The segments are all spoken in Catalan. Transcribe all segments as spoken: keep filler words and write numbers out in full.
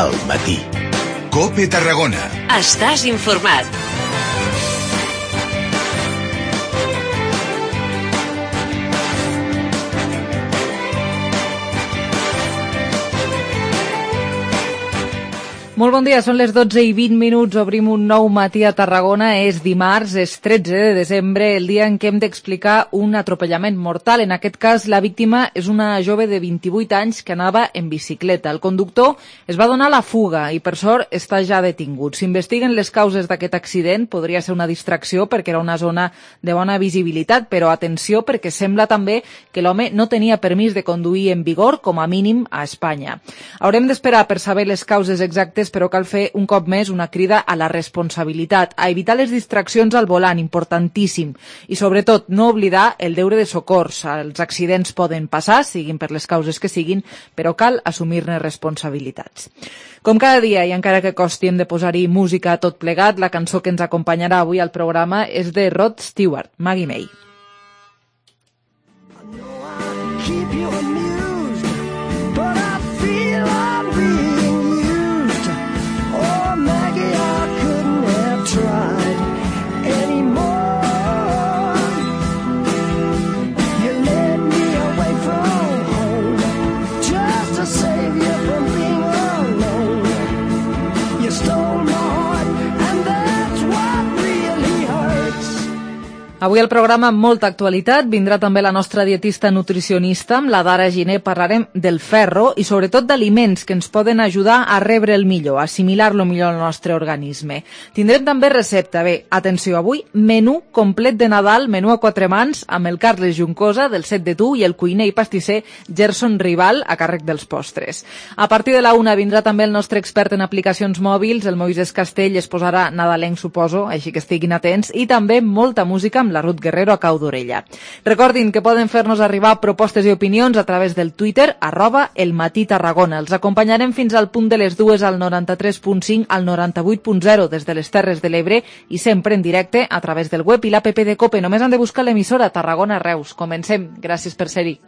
Al matí. COPE Tarragona. Estàs informat. Molt bon dia, són les dotze i vint minuts, obrim un nou matí a Tarragona, és dimarts, és tretze de desembre, el dia en què hem d'explicar un atropellament mortal. En aquest cas, la víctima és una jove de vint-i-vuit anys que anava en bicicleta. El conductor es va donar la fuga i, per sort, està ja detingut. S'investiguen les causes d'aquest accident, podria ser una distracció perquè era una zona de bona visibilitat, però atenció perquè sembla també que l'home no tenia permís de conduir en vigor, com a mínim a Espanya. Haurem d'esperar per saber les causes exactes, però cal fer un cop més una crida a la responsabilitat, a evitar les distraccions al volant, importantíssim, i sobretot no oblidar el deure de socors. Els accidents poden passar, siguin per les causes que siguin, però cal assumir-ne responsabilitats. Com cada dia, i encara que costi, hem de posar-hi música a tot plegat, la cançó que ens acompanyarà avui al programa és de Rod Stewart, Maggie May. Avui al programa amb molta actualitat vindrà també la nostra dietista nutricionista, amb la Dara Giner parlarem del ferro i sobretot d'aliments que ens poden ajudar a rebre el millor, a assimilar-lo millor al nostre organisme. Tindrem també recepta, bé, atenció, avui menú complet de Nadal, menú a quatre mans, amb el Carles Juncosa del Set de Tu i el cuiner i pastisser Gerson Rival a càrrec dels postres. A partir de la una vindrà també el nostre expert en aplicacions mòbils, el Moisés Castell, es posarà nadalenc, suposo, així que estiguin atents, i també molta música amb la Ruth Guerrero a cau d'orella. Recordin que poden fer-nos arribar propostes i opinions a través del Twitter, arroba el matí Tarragona. Els acompanyarem fins al punt de les dues al noranta-tres punt cinc, al noranta-vuit punt zero des de les Terres de l'Ebre i sempre en directe a través del web i l'app de COPE. Només han de buscar l'emissora Tarragona Reus. Comencem. Gràcies per ser-hi.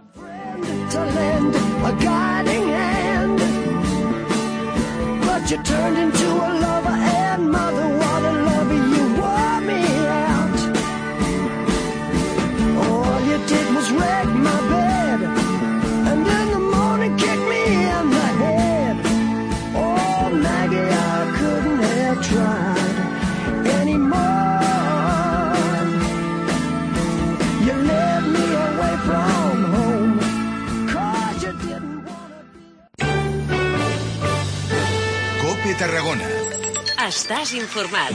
Wreck my bed and in the morning kick me in the head. Oh, Maggie, I couldn't have tried anymore. You led me away from home 'cause you didn't wanna be. COPE Tarragona. Estàs informat.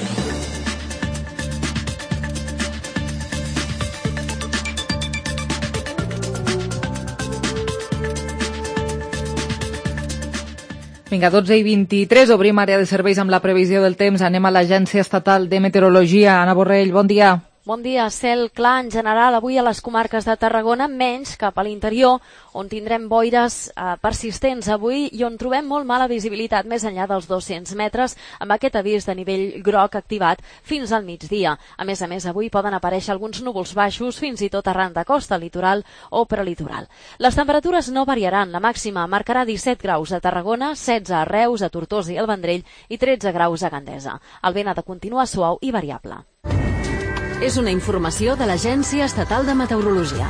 Vinga, dotze i vint-i-tres, obrim àrea de serveis amb la previsió del temps. Anem a l'Agència Estatal de Meteorologia. Anna Borrell, bon dia. Bon dia. Cel clar en general avui a les comarques de Tarragona, menys cap a l'interior, on tindrem boires eh, persistents avui i on trobem molt mala visibilitat més enllà dels dos-cents metres, amb aquest avís de nivell groc activat fins al migdia. A més a més, avui poden aparèixer alguns núvols baixos, fins i tot arran de costa, litoral o prelitoral. Les temperatures no variaran. La màxima marcarà disset graus a Tarragona, setze a Reus, a Tortosa i al Vendrell i tretze graus a Gandesa. El vent ha de continuar suau i variable. És una informació de l'Agència Estatal de Meteorologia.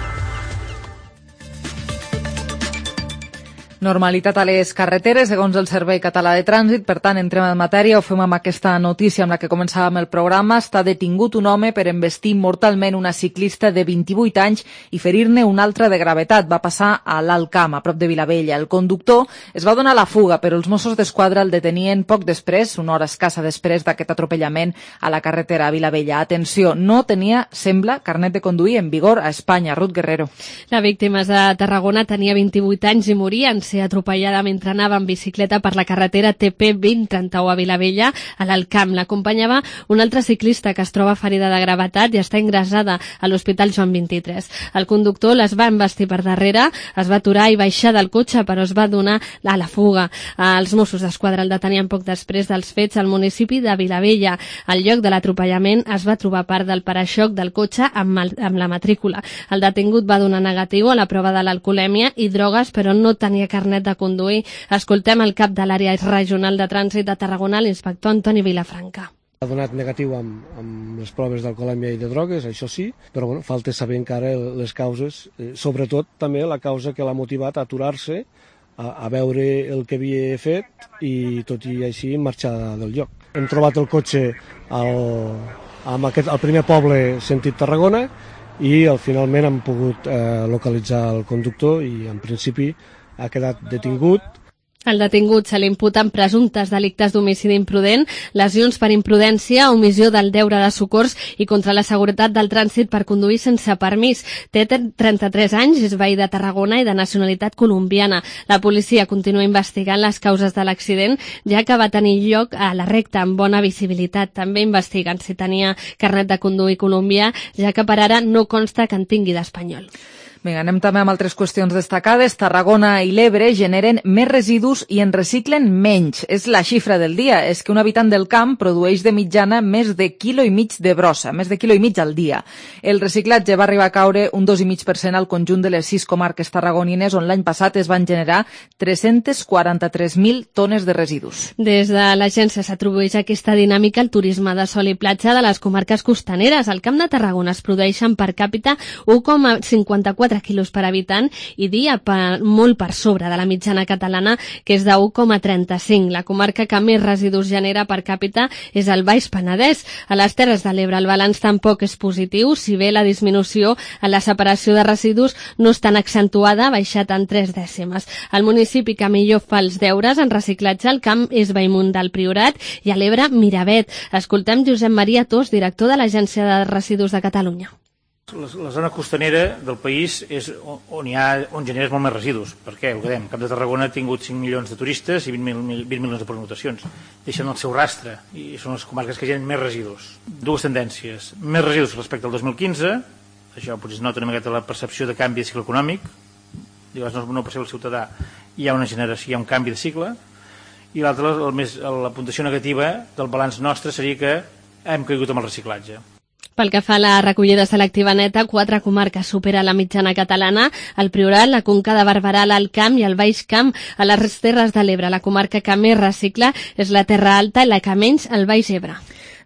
Normalitat a les carreteres, segons el Servei Català de Trànsit. Per tant, entrem en matèria, ho fem amb aquesta notícia amb la que començàvem el programa. Està detingut un home per embestir mortalment una ciclista de vint-i-vuit anys i ferir-ne una altra de gravetat. Va passar a l'Alt Camp, a prop de Vilavella. El conductor es va donar la fuga, però els Mossos d'Esquadra el detenien poc després, una hora escassa després d'aquest atropellament a la carretera a Vilavella. Atenció, no tenia, sembla, carnet de conduir en vigor a Espanya. Ruth Guerrero. La víctima és de Tarragona, tenia vint-i-vuit anys i moria en ser atropellada mentre anava en bicicleta per la carretera T P vint trenta-u a Vilavella, a l'Alt Camp. L'acompanyava una altra ciclista que es troba ferida de gravetat i està ingressada a l'Hospital Joan vint-i-tres. El conductor les va embestir per darrere, es va aturar i baixar del cotxe, però es va donar a la fuga. Els Mossos d'Esquadra el detenien poc després dels fets al municipi de Vilavella. Al lloc de l'atropellament es va trobar part del paraixoc del cotxe amb, el, amb la matrícula. El detingut va donar negatiu a la prova de l'alcoholèmia i drogues, però no tenia cap carnet de conduir. Escoltem el cap de l'àrea regional de trànsit de Tarragona, l'inspector Antoni Vilafranca. Ha donat negatiu amb, amb les proves d'alcoholèmia i de drogues, això sí, però bueno, falta saber encara les causes, eh, sobretot també la causa que l'ha motivat a aturar-se, a, a veure el que havia fet i tot i així marxar del lloc. Hem trobat el cotxe al, amb aquest, al primer poble sentit Tarragona i al, finalment hem pogut eh, localitzar el conductor i en principi ha quedat detingut. El detingut se li imputen presumptes delictes d'homicidi imprudent, lesions per imprudència, omissió del deure de socors i contra la seguretat del trànsit per conduir sense permís. Té trenta-tres anys, és veí de Tarragona i de nacionalitat colombiana. La policia continua investigant les causes de l'accident, ja que va tenir lloc a la recta amb bona visibilitat. També investiguen si tenia carnet de conduir colombià, ja que per ara no consta que en tingui d'espanyol. Vinga, anem també amb altres qüestions destacades. Tarragona i l'Ebre generen més residus i en reciclen menys. És la xifra del dia. És que un habitant del camp produeix de mitjana més de quilo i mig de brossa, més de quilo i mig al dia. El reciclatge va arribar a caure un dos coma cinc per cent al conjunt de les sis comarques tarragonines, on l'any passat es van generar tres-cents quaranta-tres mil tones de residus. Des de l'agència s'atribueix aquesta dinàmica al turisme de sol i platja de les comarques costaneres. Al Camp de Tarragona es produeixen per càpita un coma cinquanta-quatre quilos per habitant i dia per, molt per sobre de la mitjana catalana, que és de un coma trenta-cinc. La comarca que més residus genera per càpita és el Baix Penedès. A les Terres de l'Ebre el balanç tampoc és positiu, si bé la disminució en la separació de residus no és tan accentuada, ha baixat en tres dècimes. El municipi que millor fa els deures en reciclatge al camp és Bellmunt del Priorat i a l'Ebre Miravet. Escoltem Josep Maria Tos, director de l'Agència de Residus de Catalunya. La, la zona costanera del país és on, on hi ha, on generes molt més residus. Per què? Ho dèiem, Camp de Tarragona ha tingut cinc milions de turistes i vint milions de pernoctacions. Deixen el seu rastre i són les comarques que generen més residus. Dues tendències. Més residus respecte al dos mil quinze, això potser es nota una miqueta la percepció de canvi de cicle econòmic, llavors no perceu el ciutadà, hi ha una generació, hi ha un canvi de cicle, i l'altra, la puntuació negativa del balanç nostre seria que hem caigut amb el reciclatge. Pel que fa a la recollida selectiva neta, quatre comarques supera la mitjana catalana: el Priorat, la Conca de Barberà, l'Alt Camp i el Baix Camp. A les Terres de l'Ebre, la comarca que més recicla és la Terra Alta i la que menys, el Baix Ebre.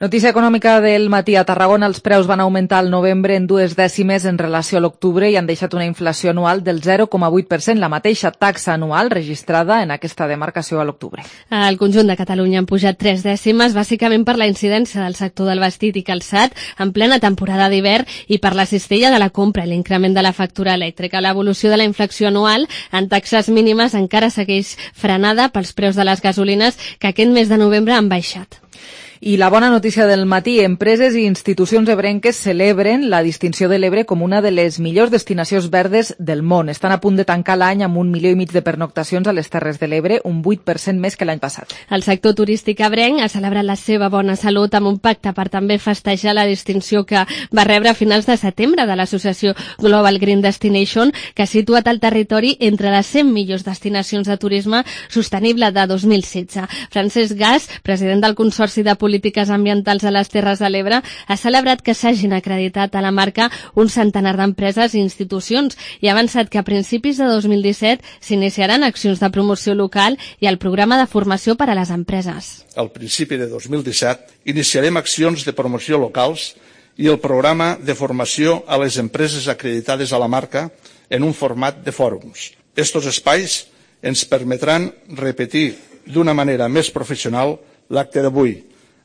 Notícia econòmica del matí. A Tarragona els preus van augmentar al novembre en dues dècimes en relació a l'octubre i han deixat una inflació anual del zero coma vuit per cent, la mateixa taxa anual registrada en aquesta demarcació a l'octubre. Al conjunt de Catalunya han pujat tres dècimes, bàsicament per la incidència del sector del vestit i calçat en plena temporada d'hivern i per la cistella de la compra i l'increment de la factura elèctrica. L'evolució de la inflació anual en taxes mínimes encara segueix frenada pels preus de les gasolines, que aquest mes de novembre han baixat. I la bona notícia del matí, empreses i institucions ebrenques celebren la distinció de l'Ebre com una de les millors destinacions verdes del món. Estan a punt de tancar l'any amb un milió i mig de pernoctacions a les Terres de l'Ebre, un vuit per cent més que l'any passat. El sector turístic ebrenc ha celebrat la seva bona salut amb un pacte per també festejar la distinció que va rebre a finals de setembre de l'associació Global Green Destination, que ha situat el territori entre les cent millors destinacions de turisme sostenible de dos mil setze. Francesc Gas, president del Consorci de Polítiques Ambientals a les Terres de l'Ebre, ha celebrat que s'hagin acreditat a la marca un centenar d'empreses i institucions i ha avançat que a principis de dos mil disset s'iniciaran accions de promoció local i el programa de formació per a les empreses. Al principi de dos mil disset iniciarem accions de promoció locals i el programa de formació a les empreses acreditades a la marca en un format de fòrums. Estos espais ens permetran repetir d'una manera més professional l'acte d'avui,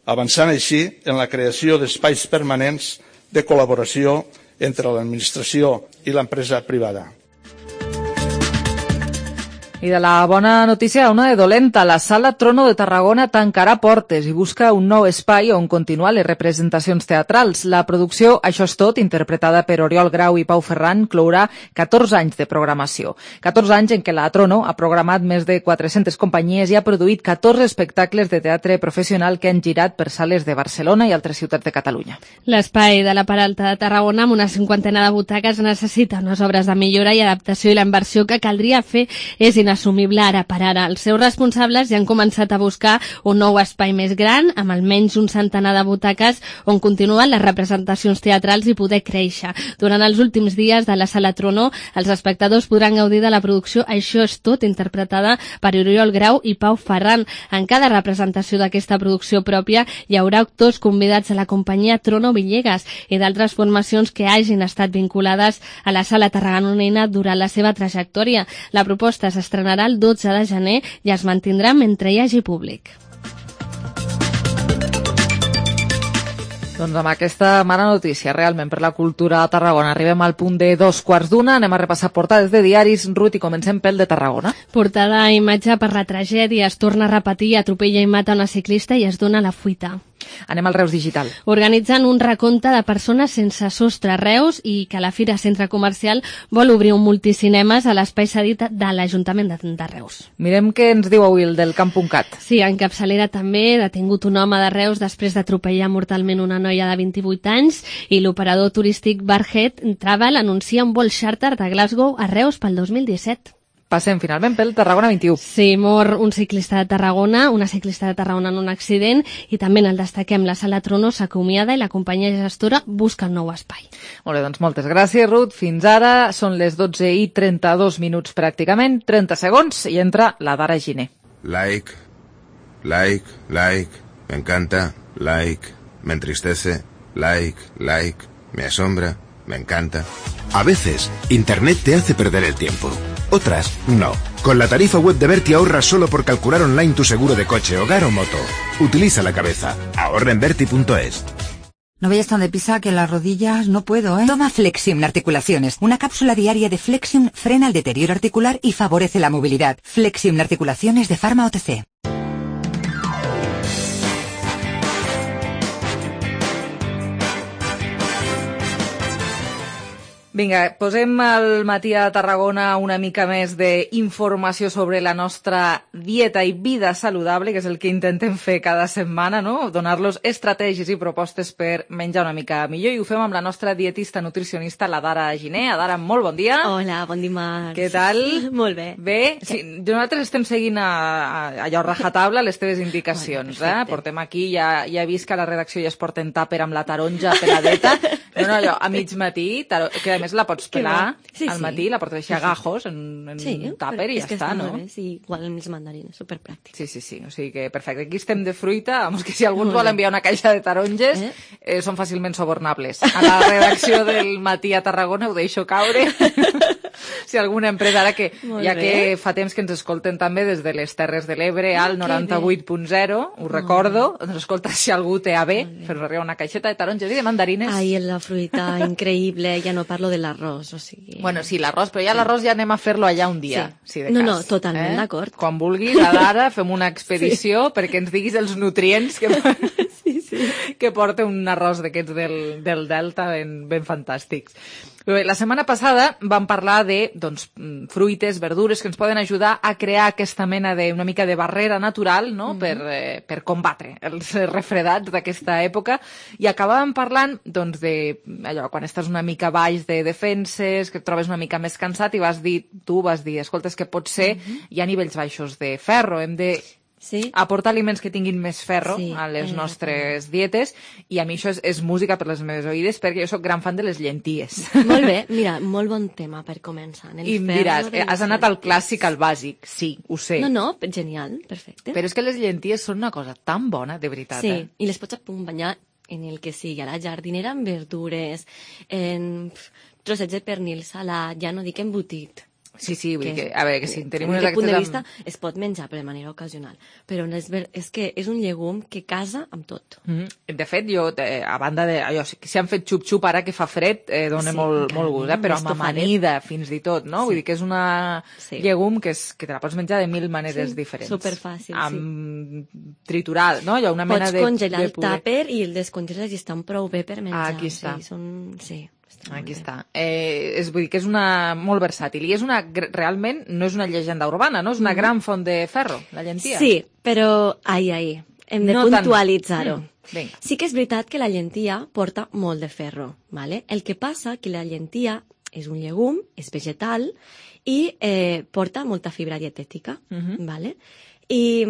avançant així en la creació d'espais permanents de col·laboració entre l'administració i l'empresa privada. I de la bona notícia a una de dolenta. La Sala Trono de Tarragona tancarà portes i busca un nou espai on continuar les representacions teatrals. La producció Això és tot, interpretada per Oriol Grau i Pau Ferran, clourà catorze anys de programació. catorze anys en què la Trono ha programat més de quatre-centes companyies i ha produït catorze espectacles de teatre professional que han girat per sales de Barcelona i altres ciutats de Catalunya. L'espai de la Peralta de Tarragona, amb una cinquantena de butaques, necessita unes obres de millora i adaptació, i la inversió que caldria fer és inassumible ara per ara. Els seus responsables ja han començat a buscar un nou espai més gran, amb almenys un centenar de butaques on continuen les representacions teatrals i poder créixer. Durant els últims dies de la Sala Trono, els espectadors podran gaudir de la producció Això és tot, interpretada per Oriol Grau i Pau Ferran. En cada representació d'aquesta producció pròpia hi haurà actors convidats a la companyia Trono Villegas i d'altres formacions que hagin estat vinculades a la Sala Tarragonina durant la seva trajectòria. La proposta s'estrenarà el dotze de gener i es mantindrà mentre hi hagi públic. Doncs amb aquesta mala notícia, realment, per la cultura a Tarragona. Arribem al punt de dos quarts d'una, anem a repassar portades de diaris. Ruth, i comencem pel de Tarragona. Portada a imatge per la tragèdia, es torna a repetir, atropella i mata una ciclista i es dona la fuita. Anem al Reus Digital. Organitzen un recompte de persones sense sostre a Reus i que la Fira Centre Comercial vol obrir un multicinemes a l'espai cedit de l'Ajuntament de, de Reus. Mirem què ens diu avui el del camp punt cat. Sí, en capçalera també, detingut un home de Reus després d'atropellar mortalment una noia de vint-i-vuit anys i l'operador turístic Barhead Travel anuncia un vol xàrter de Glasgow a Reus pel dos mil disset. Passem finalment pel Tarragona vint-i-u. Sí, mor un ciclista de Tarragona, una ciclista de Tarragona en un accident i també en el destaquem la Sala Trono s'acomiada i la companyia gestora busca un nou espai. Molt bé, doncs moltes gràcies, Ruth. Fins ara són les dotze i trenta-dos minuts pràcticament, trenta segons i entra la Dara Giner. Like, like, like, me encanta, like, me entristece, like, like, me asombra, me encanta. A veces, Internet te hace perder el tiempo. Otras, no. Con la tarifa web de Berti ahorras solo por calcular online tu seguro de coche, hogar o moto. Utiliza la cabeza. Ahorra en Berti punto es. No vayas tan deprisa que las rodillas no puedo, ¿eh? Toma Flexium Articulaciones. Una cápsula diaria de Flexium frena el deterioro articular y favorece la movilidad. Flexium Articulaciones de Pharma O T C. Vinga, posem al matí a Tarragona una mica més d'informació sobre la nostra dieta i vida saludable, que és el que intentem fer cada setmana, no? Donar-los estratègies i propostes per menjar una mica millor, i ho fem amb la nostra dietista nutricionista, la Dara Giner. Dara, molt bon dia. Hola, bon dimarts. Què tal? Molt bé. Bé? Sí, nosaltres estem seguint a, a, allò rajatabla les teves indicacions. Bueno, eh? Portem aquí, ja, ja he vist que a la redacció ja es porten tàper amb la taronja per a dieta. No, no, allò, a mig matí, taro... que a més la pots pelar sí, al matí, sí. la pots deixar a gajos en, en sí, un tàper i ja està, no? Bé, sí, igual amb els mandarines, superpràctic. Sí, sí, sí, o sigui que perfecte. Aquí estem de fruita, vamos, que si algú ens vol enviar una caixa de taronges, eh? Eh, són fàcilment sobornables. A la redacció del matí a Tarragona ho deixo caure. Si alguna empresa, ara que Molt ja bé. Que fa temps que ens escolten també des de les Terres de l'Ebre al noranta-vuit punt zero, ho recordo, ens escolta si algú té a bé, fer arribar una caixeta de taronges i de mandarines. Ai, la fruita, increïble, ja no parlo de l'arròs, o sigui... Bueno, sí, l'arròs, però ja l'arròs ja anem a fer-lo allà un dia, sí. si de no, cas. No, no, totalment eh? d'acord. Quan vulguis, ara fem una expedició sí. perquè ens diguis els nutrients que, sí, sí. que porta un arròs d'aquests del, del Delta ben, ben fantàstics. La setmana passada vam parlar de doncs, fruites, verdures que ens poden ajudar a crear aquesta mena de una mica de barrera natural, no? mm-hmm. per, eh, per combatre els refredats d'aquesta època, i acabàvem parlant doncs, de allò, quan estàs una mica baix de defenses, que et trobes una mica més cansat i vas dir, tu vas dir, escolta, és que potser mm-hmm. hi ha nivells baixos de ferro, hem de Sí. aportar aliments que tinguin més ferro sí, a les eh, nostres dietes, i a mi això és, és música per les meves oïdes, perquè jo sóc gran fan de les llenties. Molt bé, mira, molt bon tema per començar. El I em diràs, eh, has anat al clàssic, al bàsic, sí, ho sé. No, no, genial, perfecte. Però és que les llenties són una cosa tan bona, de veritat. Sí, eh? i les pots acompanyar en el que sigui, a la jardinera amb verdures, en trossets de pernil salat, ja no dic embotit. Sí, sí, vull dir que, a veure, que si tenim unes actes... punt de vista amb... es pot menjar, però de manera ocasional. Però no és, ver... és que és un llegum que casa amb tot. Mm-hmm. De fet, jo, eh, a banda de... Allò, si han fet xup-xup ara que fa fred, eh, dona sí, molt, molt gust, eh? Però amb amanida, fins i tot, no? Sí. Vull dir que és una sí. llegum que, és, que te la pots menjar de mil maneres sí, diferents. Superfàcil, amb sí. triturat, no? Allò, una mena pots de... congelar de el tàper i el descongeles i estan prou bé per menjar. Ah, aquí està. Sí, són... sí. Aquí està. Eh, és, vull dir que és una molt versàtil i és una, realment no és una llegenda urbana, no? És una mm. gran font de ferro, la llentia. Sí, però ai, ai, hem de no puntualitzar-ho. Mm. Sí que és veritat que la llentia porta molt de ferro, ¿vale? El que passa que la llentia és un llegum, és vegetal i eh, porta molta fibra dietètica. Mhm. Vale? I,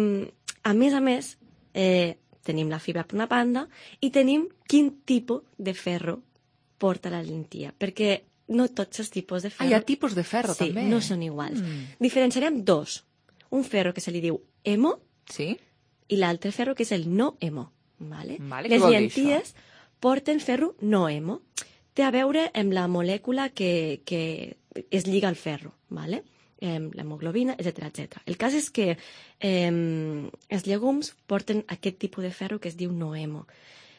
a més a més, eh, tenim la fibra per una banda i tenim quin tipus de ferro porta la lentilla, perquè no tots els tipus de Ah, ferro... hi ha tipus de ferro, sí, també. no són iguals. Mm. Diferenciarem dos. Un ferro que se li diu hemo Sí? i l'altre ferro que és el no hemo. Vale? Vale, què Les vol dir llenties porten ferro no hemo. Té a veure amb la molècula que, que es lliga al ferro, vale? eh, l'hemoglobina, etcètera, etcètera. El cas és que eh, els llegums porten aquest tipus de ferro que es diu no hemo.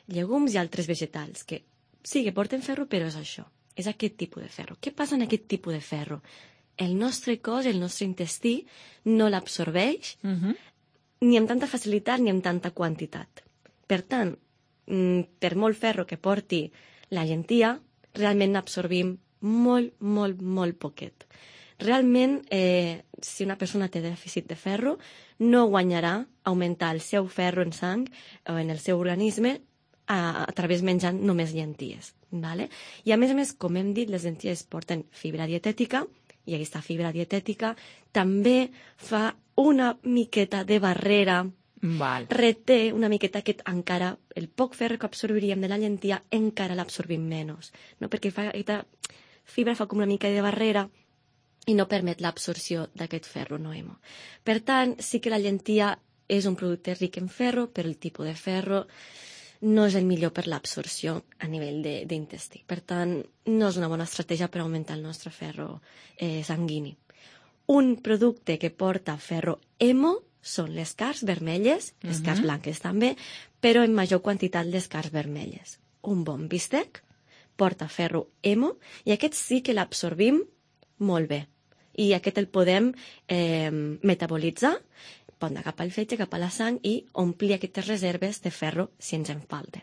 Llegums i altres vegetals, que sí que porten ferro, però és això, és aquest tipus de ferro. Què passa en aquest tipus de ferro? El nostre cos, el nostre intestí, no l'absorbeix Uh -huh. ni amb tanta facilitat ni amb tanta quantitat. Per tant, mm, per molt ferro que porti la llentia, realment n'absorbim molt, molt, molt poquet. Realment, eh, si una persona té dèficit de ferro, no guanyarà augmentar el seu ferro en sang o en el seu organisme a, a través menjant només llenties. Vale? I a més a més, com hem dit, les llenties porten fibra dietètica, i aquesta fibra dietètica també fa una miqueta de barrera, Val. reté una miqueta aquest encara, el poc ferro que absorbiríem de la llentia encara l'absorbim menys, no? Perquè fa, aquesta fibra fa com una mica de barrera i no permet l'absorció d'aquest ferro no hemo. Per tant, sí que la llentia és un producte ric en ferro, però el tipus de ferro no és el millor per l'absorció a nivell de- d'intestí. Per tant, no és una bona estratègia per augmentar el nostre ferro eh, sanguini. Un producte que porta ferro hemo són les carns vermelles, les carns Mhm. blanques també, però en major quantitat les carns vermelles. Un bon bistec porta ferro hemo i aquest sí que l'absorbim molt bé. I aquest el podem eh, metabolitzar, pot anar cap al fetge, cap a la sang i omplir aquestes reserves de ferro si ens en falten.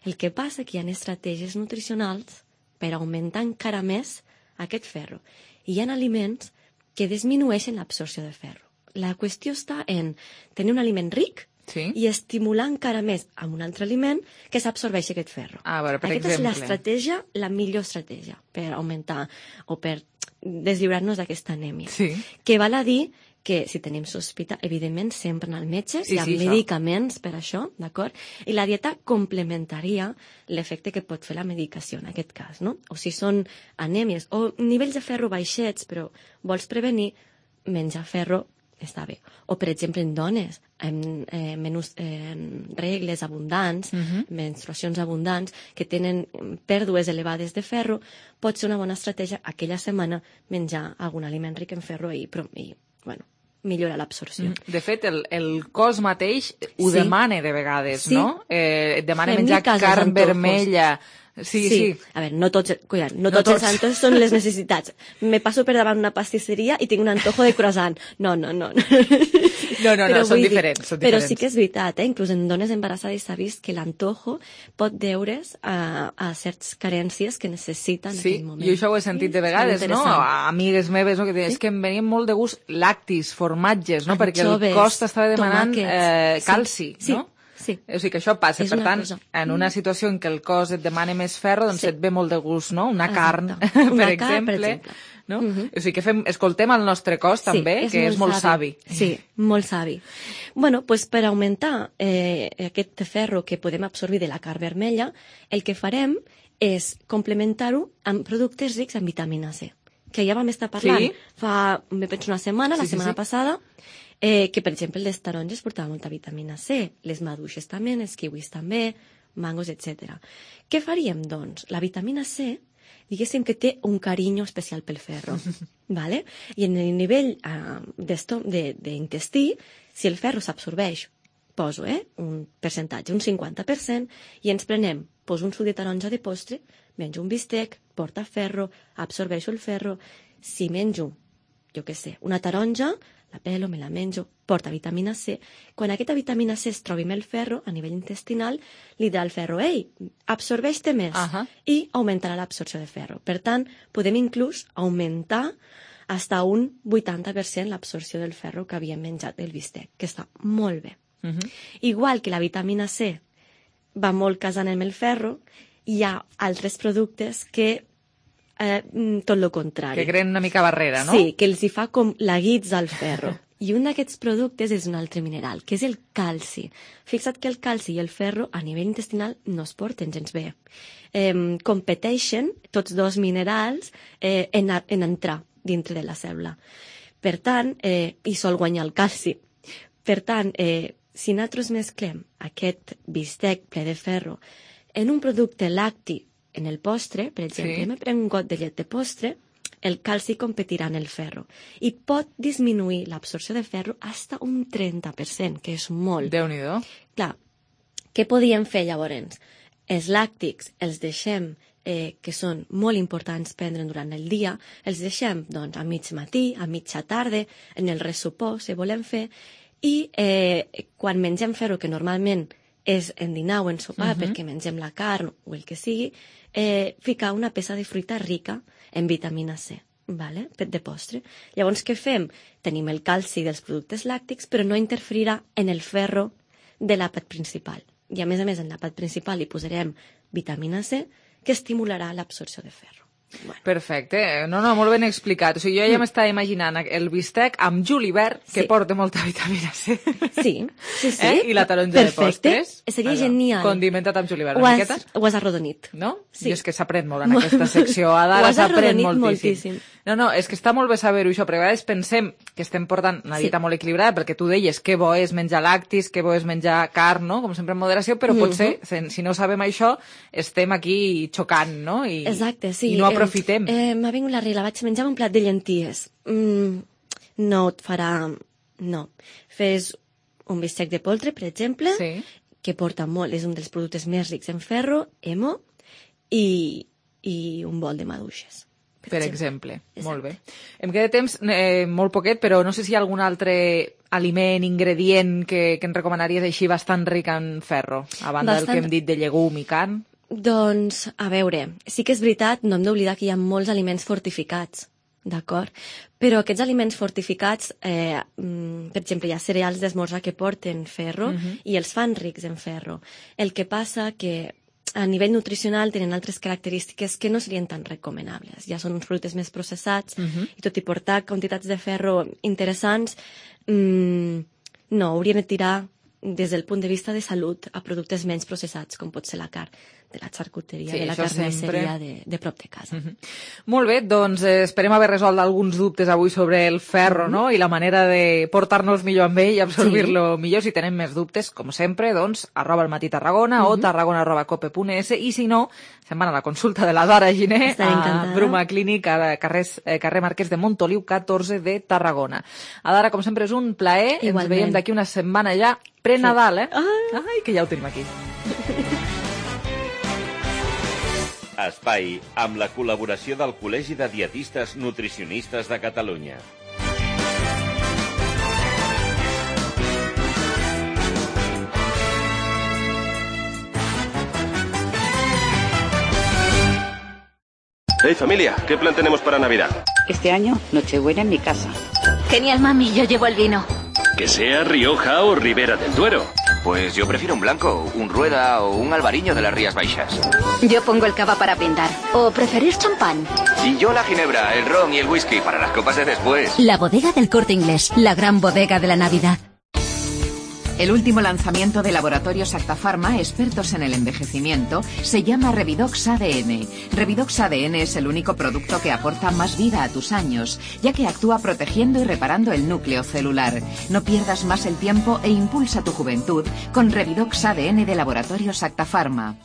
El que passa que hi ha estratègies nutricionals per augmentar encara més aquest ferro. I hi ha aliments que disminueixen l'absorció de ferro. La qüestió està en tenir un aliment ric Sí. i estimular encara més amb un altre aliment que s'absorbeixi aquest ferro. A veure, per Aquesta exemple. és l'estratègia, la millor estratègia per augmentar o per deslliurar-nos d'aquesta anèmia. Sí. Que val a dir que si tenim sospita, evidentment, sempre anar al metge, Sí, hi ha sí, això. medicaments per això, d'acord? I la dieta complementaria l'efecte que pot fer la medicació en aquest cas, no? O si són anèmies o nivells de ferro baixets, però vols prevenir, menjar ferro està bé. O, per exemple, en dones, en, eh, menús, eh, en regles abundants, Mhm. menstruacions abundants, que tenen pèrdues elevades de ferro, pot ser una bona estratègia aquella setmana menjar algun aliment ric en ferro i, però, i bueno, millora l'absorció. Mm. De fet, el, el cos mateix ho Sí. demana de vegades, Sí. no? Eh, et demana Fem-li menjar cas als carn antojos. vermella. Sí, sí. A veure, no tots, cuidado, no No tots, tots. els antojos són les necessitats. Me passo per davant una pastisseria i tinc un antojo de croissant. No, no, no. No, no, no, Però són vull dir- diferents, són Però diferents. sí que és veritat, eh? Inclús en dones embarassades s'ha vist que l'antojo pot deure's a, a certes carències que necessiten en Sí, aquell moment. jo això ho he sentit de És vegades, no? interessant. A amigues meves, no? Que deien, Sí. és que em venien molt de gust lactis, formatges, no? Perquè el Anxoves, cos t'estava demanant tomàquets. eh, Sí, calci, sí, no? sí. O sigui que això passa. És Per una tant, cosa. en una situació en què el cos et demana més ferro, doncs Sí. et ve molt de gust, no? Una Exacte. carn, Una per carn, per exemple. exemple. No? Mhm. O sigui que fem, escoltem el nostre cos també, que és molt savi. Sí, molt savi. Bueno, pues per augmentar eh, aquest ferro que podem absorbir de la carn vermella, el que farem és complementar-ho amb productes rics en vitamina C, que ja vam estar parlant Sí. fa, me penso, una setmana, la Sí, sí, setmana sí. passada, eh, que, per exemple, les taronges portaven molta vitamina C, les maduixes també, els kiwis també, mangos, etcètera. Què faríem, doncs? La vitamina C, diguéssim que té un carinyo especial pel ferro, vale? I en el nivell uh, d'intestí, si el ferro s'absorbeix, poso eh, un percentatge, un cinquanta per cent, i ens prenem, poso un suc de taronja de postre, menjo un bistec, porta ferro, absorbeixo el ferro. Si menjo, jo què sé, una taronja, la pelo, me la menjo, porta vitamina C. Quan aquesta vitamina C es trobi amb el ferro a nivell intestinal, li dirà al ferro, ei, absorbeix-te més, Ahà. i augmentarà l'absorció de ferro. Per tant, podem inclús augmentar fins a un vuitanta per cent l'absorció del ferro que havíem menjat del bistec, que està molt bé. Mhm. Igual que la vitamina C va molt casant amb el ferro, hi ha altres productes que eh, tot el contrari. Que creen una mica barrera, no? Sí, que els hi fa com la guitza al ferro. I un d'aquests productes és un altre mineral, que és el calci. Fixa't que el calci i el ferro a nivell intestinal no es porten gens bé. Eh, competeixen tots dos minerals eh, en, a, en entrar dintre de la cèl·lula. Per tant, eh, hi sol guanyar el calci. Per tant, eh, si nosaltres mesclem aquest bistec ple de ferro en un producte lacti en el postre, per exemple, sí. me prenc un got de llet de postre, el calci competirà en el ferro i pot disminuir l'absorció de ferro fins a un trenta per cent, que és molt. Déu-n'hi-do. Clar, què podíem fer llavors? Els làctics els deixem, eh, que són molt importants prendre durant el dia, els deixem doncs, a mig matí, a mitja tarda, en el ressupor, si volem fer, i eh, quan mengem ferro, que normalment és en dinar o en sopar, uh-huh. perquè mengem la carn o el que sigui, eh, ficar una peça de fruita rica en vitamina C, vale? De postre. Llavors, què fem? Tenim el calci dels productes làctics, però no interferirà en el ferro de l'àpat principal. I a més a més, en l'àpat principal hi posarem vitamina C, que estimularà l'absorció de ferro. Bueno. Perfecte. No, no, molt ben explicat. O sigui, jo ja m'estava imaginant el bistec amb julivert, que sí. porta molta vitamina C. Sí, sí, sí. Eh? I la taronja Perfecte. De postres. Seria Allò. Genial. Condimentat amb julivert, ho una has, miqueta. Ho has arrodonit. No? Sí. I és que s'aprèn molt en aquesta secció. Ara s'aprèn moltíssim. moltíssim. No, no, és que està molt bé saber-ho això, perquè a vegades pensem que estem portant una dieta sí. molt equilibrada, perquè tu deies que bo és menjar lactis, que bo és menjar carn, no? Com sempre en moderació, però mm-hmm. potser, si no sabem això, estem aquí xocant, no? I, Exacte, sí. I no aprofitem. Eh, eh, M'ha vingut la regla, vaig menjar un plat de llenties. Mm, no et farà... No. Fes un bistec de poltre, per exemple, sí. que porta molt, és un dels productes més rics en ferro, hemo, i, i un bol de maduixes. Per, per exemple. exemple. Molt bé. Em queda temps eh, molt poquet, però no sé si hi ha algun altre aliment, ingredient que, que ens recomanaries així bastant ric en ferro, a banda bastant... del que hem dit de llegum i carn? Doncs, a veure, sí que és veritat, no hem d'oblidar que hi ha molts aliments fortificats, d'acord? Però aquests aliments fortificats, eh, per exemple, hi ha cereals d'esmorzar que porten ferro uh-huh. i els fan rics en ferro. El que passa que a nivell nutricional tenen altres característiques que no serien tan recomanables. Ja són uns productes més processats uh-huh. i tot i portar quantitats de ferro interessants, mmm, no, hauríem de tirar des del punt de vista de salut a productes menys processats, com pot ser la carn, de la xarcuteria, sí, de la carnisseria sempre... de, de prop de casa. Uh-huh. Molt bé, doncs eh, esperem haver resolt alguns dubtes avui sobre el ferro, uh-huh. no?, i la manera de portar-nos millor amb ell i absorbir-lo sí. millor. Si tenem més dubtes, com sempre, doncs, arroba el matí Tarragona uh-huh. o tarragona arroba cope punt es, i si no, se'n van a la consulta de la Dara Giner a Bruma Clínic, a carrer, eh, carrer Marquès de Montoliu, catorze de Tarragona. A Dara, com sempre, és un plaer. Igualment. Ens veiem d'aquí una setmana ja, pre-Nadal, eh? Ah. Ai, que ja ho tenim aquí. Espai, amb la col·laboració del Col·legi de Dietistes Nutricionistes de Catalunya. Hey familia, ¿qué plan tenemos para Navidad? Este año, Nochebuena en mi casa. Genial, mami, yo llevo el vino. Que sea Rioja o Ribera del Duero. Pues yo prefiero un blanco, un Rueda o un Albariño de las Rías Baixas. Yo pongo el cava para brindar. ¿O preferís champán? Y yo la ginebra, el ron y el whisky para las copas de después. La bodega del Corte Inglés, la gran bodega de la Navidad. El último lanzamiento de Laboratorios Acta Pharma, expertos en el envejecimiento, se llama Revidox A D N. Revidox A D N es el único producto que aporta más vida a tus años, ya que actúa protegiendo y reparando el núcleo celular. No pierdas más el tiempo e impulsa tu juventud con Revidox A D N de Laboratorios Acta Pharma.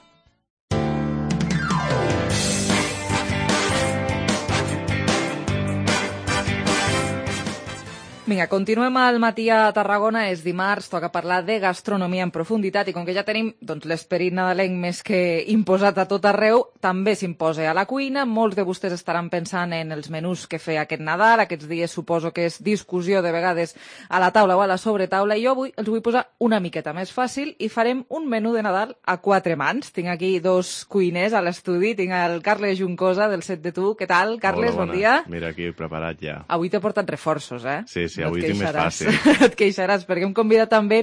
Vinga, continuem al matí a Tarragona, és dimarts, toca parlar de gastronomia en profunditat i com que ja tenim doncs, l'esperit nadalenc més que imposat a tot arreu, també s'imposa a la cuina. Molts de vostès estaran pensant en els menús que fer aquest Nadal, aquests dies suposo que és discussió de vegades a la taula o a la sobretaula, i jo avui els vull posar una miqueta més fàcil i farem un menú de Nadal a quatre mans. Tinc aquí dos cuiners a l'estudi, tinc el Carles Juncosa del Set de Tu. Què tal, Carles? Hola, bon dia. Mira, aquí preparat ja. Avui t'he portat reforços, eh? Sí, sí, no avui tinc més fàcil. Et queixaràs, perquè hem convidat també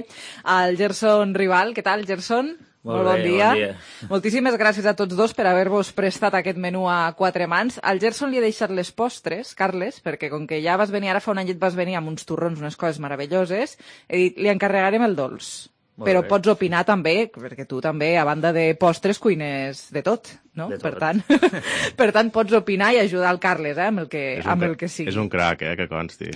al Gerson Rival. Què tal, Gerson? Molt, Molt bon, bé, dia. bon dia. Moltíssimes gràcies a tots dos per haver-vos prestat aquest menú a quatre mans. Al Gerson li he deixat les postres, Carles, perquè com que ja vas venir, ara fa un anyet vas venir amb uns torrons, unes coses meravelloses, he dit, li encarregarem el dolç. Molt Però bé. Pots opinar també, perquè tu també, a banda de postres, cuines de tot, no? De tot. Per tant, per tant, pots opinar i ajudar el Carles, eh, amb el que, amb el que sigui. És un crac, eh, que consti.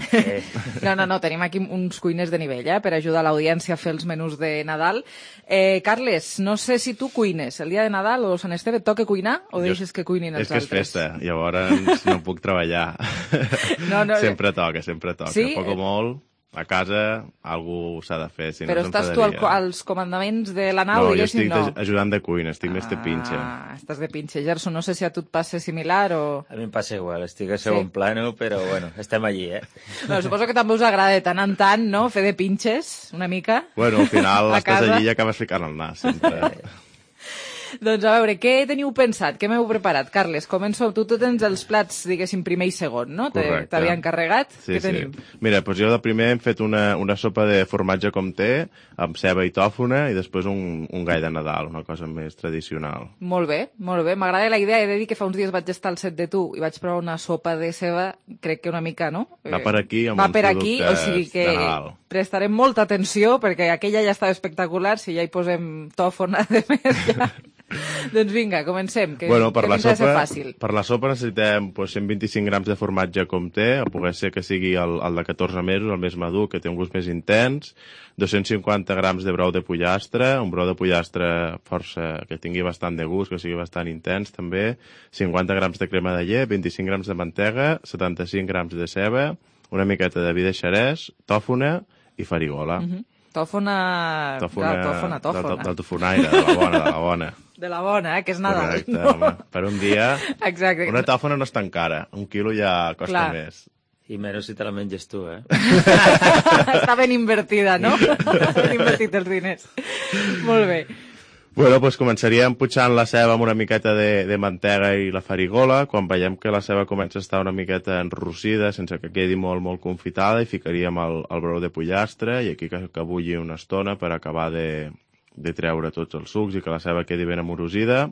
No, no, no, tenim aquí uns cuiners de nivell, eh, per ajudar l'audiència a fer els menús de Nadal. Eh, Carles, no sé si tu cuines el dia de Nadal o Sant Esteve, et toca cuinar o deixes que cuinin els altres? És que és festa, llavors no puc treballar. No, no. Sempre toca, sempre toca. Sí? Poc o molt... A casa algú s'ha de fer, si Però no estàs tu al, als comandaments de la nau, no, diguéssim, no? No, jo estic ajudant de cuina, estic ah, més de pinxe. Ah, estàs de pinxe. Gerson, no sé si a tu et passa similar o... A mi em passa igual, estic a segon sí. plano, però bueno, estem allí, eh? No, suposo que també us agrada de tant en tant, no?, fer de pinxes, una mica. Bueno, al final estàs allí i acabes ficant el nas, sempre. Doncs a veure, què teniu pensat? Què m'heu preparat? Carles, començo. Tu, tu tens els plats, diguéssim, primer i segon, no? Correcte. T'havia encarregat? Sí, Què tenim? Sí. Mira, doncs jo de primer hem fet una, una sopa de formatge comté, amb ceba i tòfona, i després un, un gall de Nadal, una cosa més tradicional. Molt bé, molt bé. M'agrada la idea. He de dir que fa uns dies vaig estar al set de tu i vaig provar una sopa de ceba, crec que una mica, no? Va per aquí, amb Va uns per aquí, o sigui que de Nadal. Prestarem molta atenció, perquè aquella ja estava espectacular, si ja hi posem tòfona, de més ja... Doncs vinga, comencem, que, bueno, per que la pinta de ser sopa, fàcil. Per la sopa necessitem pues, cent vint-i-cinc grams de formatge comté, a poder ser que sigui el, el de catorze mesos, el més madur, que té un gust més intens, dos-cents cinquanta grams de brou de pollastre, un brou de pollastre força que tingui bastant de gust, que sigui bastant intens també, cinquanta grams de crema de llet, vint-i-cinc grams de mantega, setanta-cinc grams de ceba, una miqueta de vi de xerès, tòfona i farigola. Mm-hmm. Tòfona... Tòfona, Clar, tòfona, tòfona. Del, del tofonaire, de la bona, de la bona. De la bona, eh? Que és Nadal. Correcte, no? home. Per un dia... Exacte. Una tòfona no és tan cara. Un quilo ja costa Clar. més. I menys si te la menges tu, eh? Està ben invertida, no? Ben invertit els diners. Molt bé. Bueno, doncs començaríem putxant la ceba amb una miqueta de, de mantega i la farigola. Quan veiem que la ceba comença a estar una miqueta enrossida, sense que quedi molt, molt confitada, i ficaríem el, el brou de pollastre, i aquí que, que bulli una estona per acabar de, de treure tots els sucs i que la ceba quedi ben amorosida.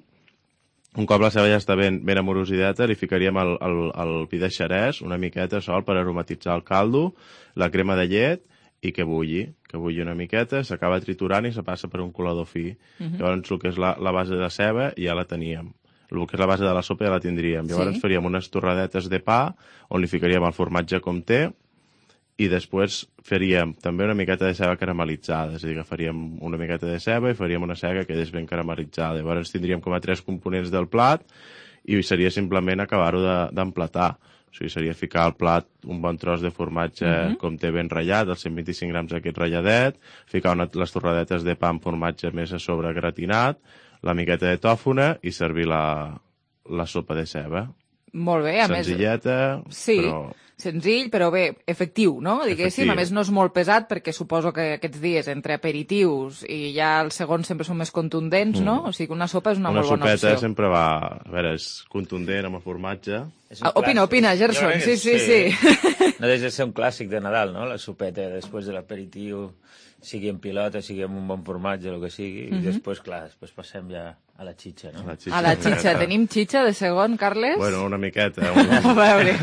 Un cop la ceba ja està ben, ben amorosideta, li ficaríem el, el, el vi de xerès, una miqueta sol per aromatitzar el caldo, la crema de llet, i que bulli, que bulli una miqueta, s'acaba triturant i se passa per un colador fi. Uh-huh. Llavors, el que és la, la base de ceba ja la teníem. El que és la base de la sopa ja la tindríem. Llavors, sí? Faríem unes torradetes de pa, on li ficaríem el formatge comté, i després faríem també una miqueta de ceba caramelitzada, és a dir, que faríem una miqueta de ceba i faríem una ceba que quedés ben caramelitzada. Llavors, tindríem com a tres components del plat, i seria simplement acabar-ho d'emplatar. De, O sigui, seria ficar al plat un bon tros de formatge uh-huh. comté ben ratllat, els cent vint-i-cinc grams d'aquest ratlladet, ficar una, les torradetes de pa amb formatge més a sobre gratinat, la miqueta de tòfona i servir la, la sopa de ceba. Molt bé, a Senzilleta, més... Sí, però... senzill, però bé, efectiu, no? Diguéssim, efectiu. A més no és molt pesat, perquè suposo que aquests dies, entre aperitius i ja els segons sempre són més contundents, mm. no? O sigui, una sopa és una, una molt bona opció. Una sopeta sempre va... A veure, és contundent amb el formatge. Ah, opina, opina, Gerson, sí, sí, sí. sí. No deixa de ser un clàssic de Nadal, no? La sopeta després de l'aperitiu, sigui en pilota, sigui amb un bon formatge, el que sigui, mm-hmm. i després, clar, després passem ja a la xitxa, no? A la xitxa. A la xitxa. Tenim xitxa de segon, Carles? Bueno, una miqueta. Un... a veure...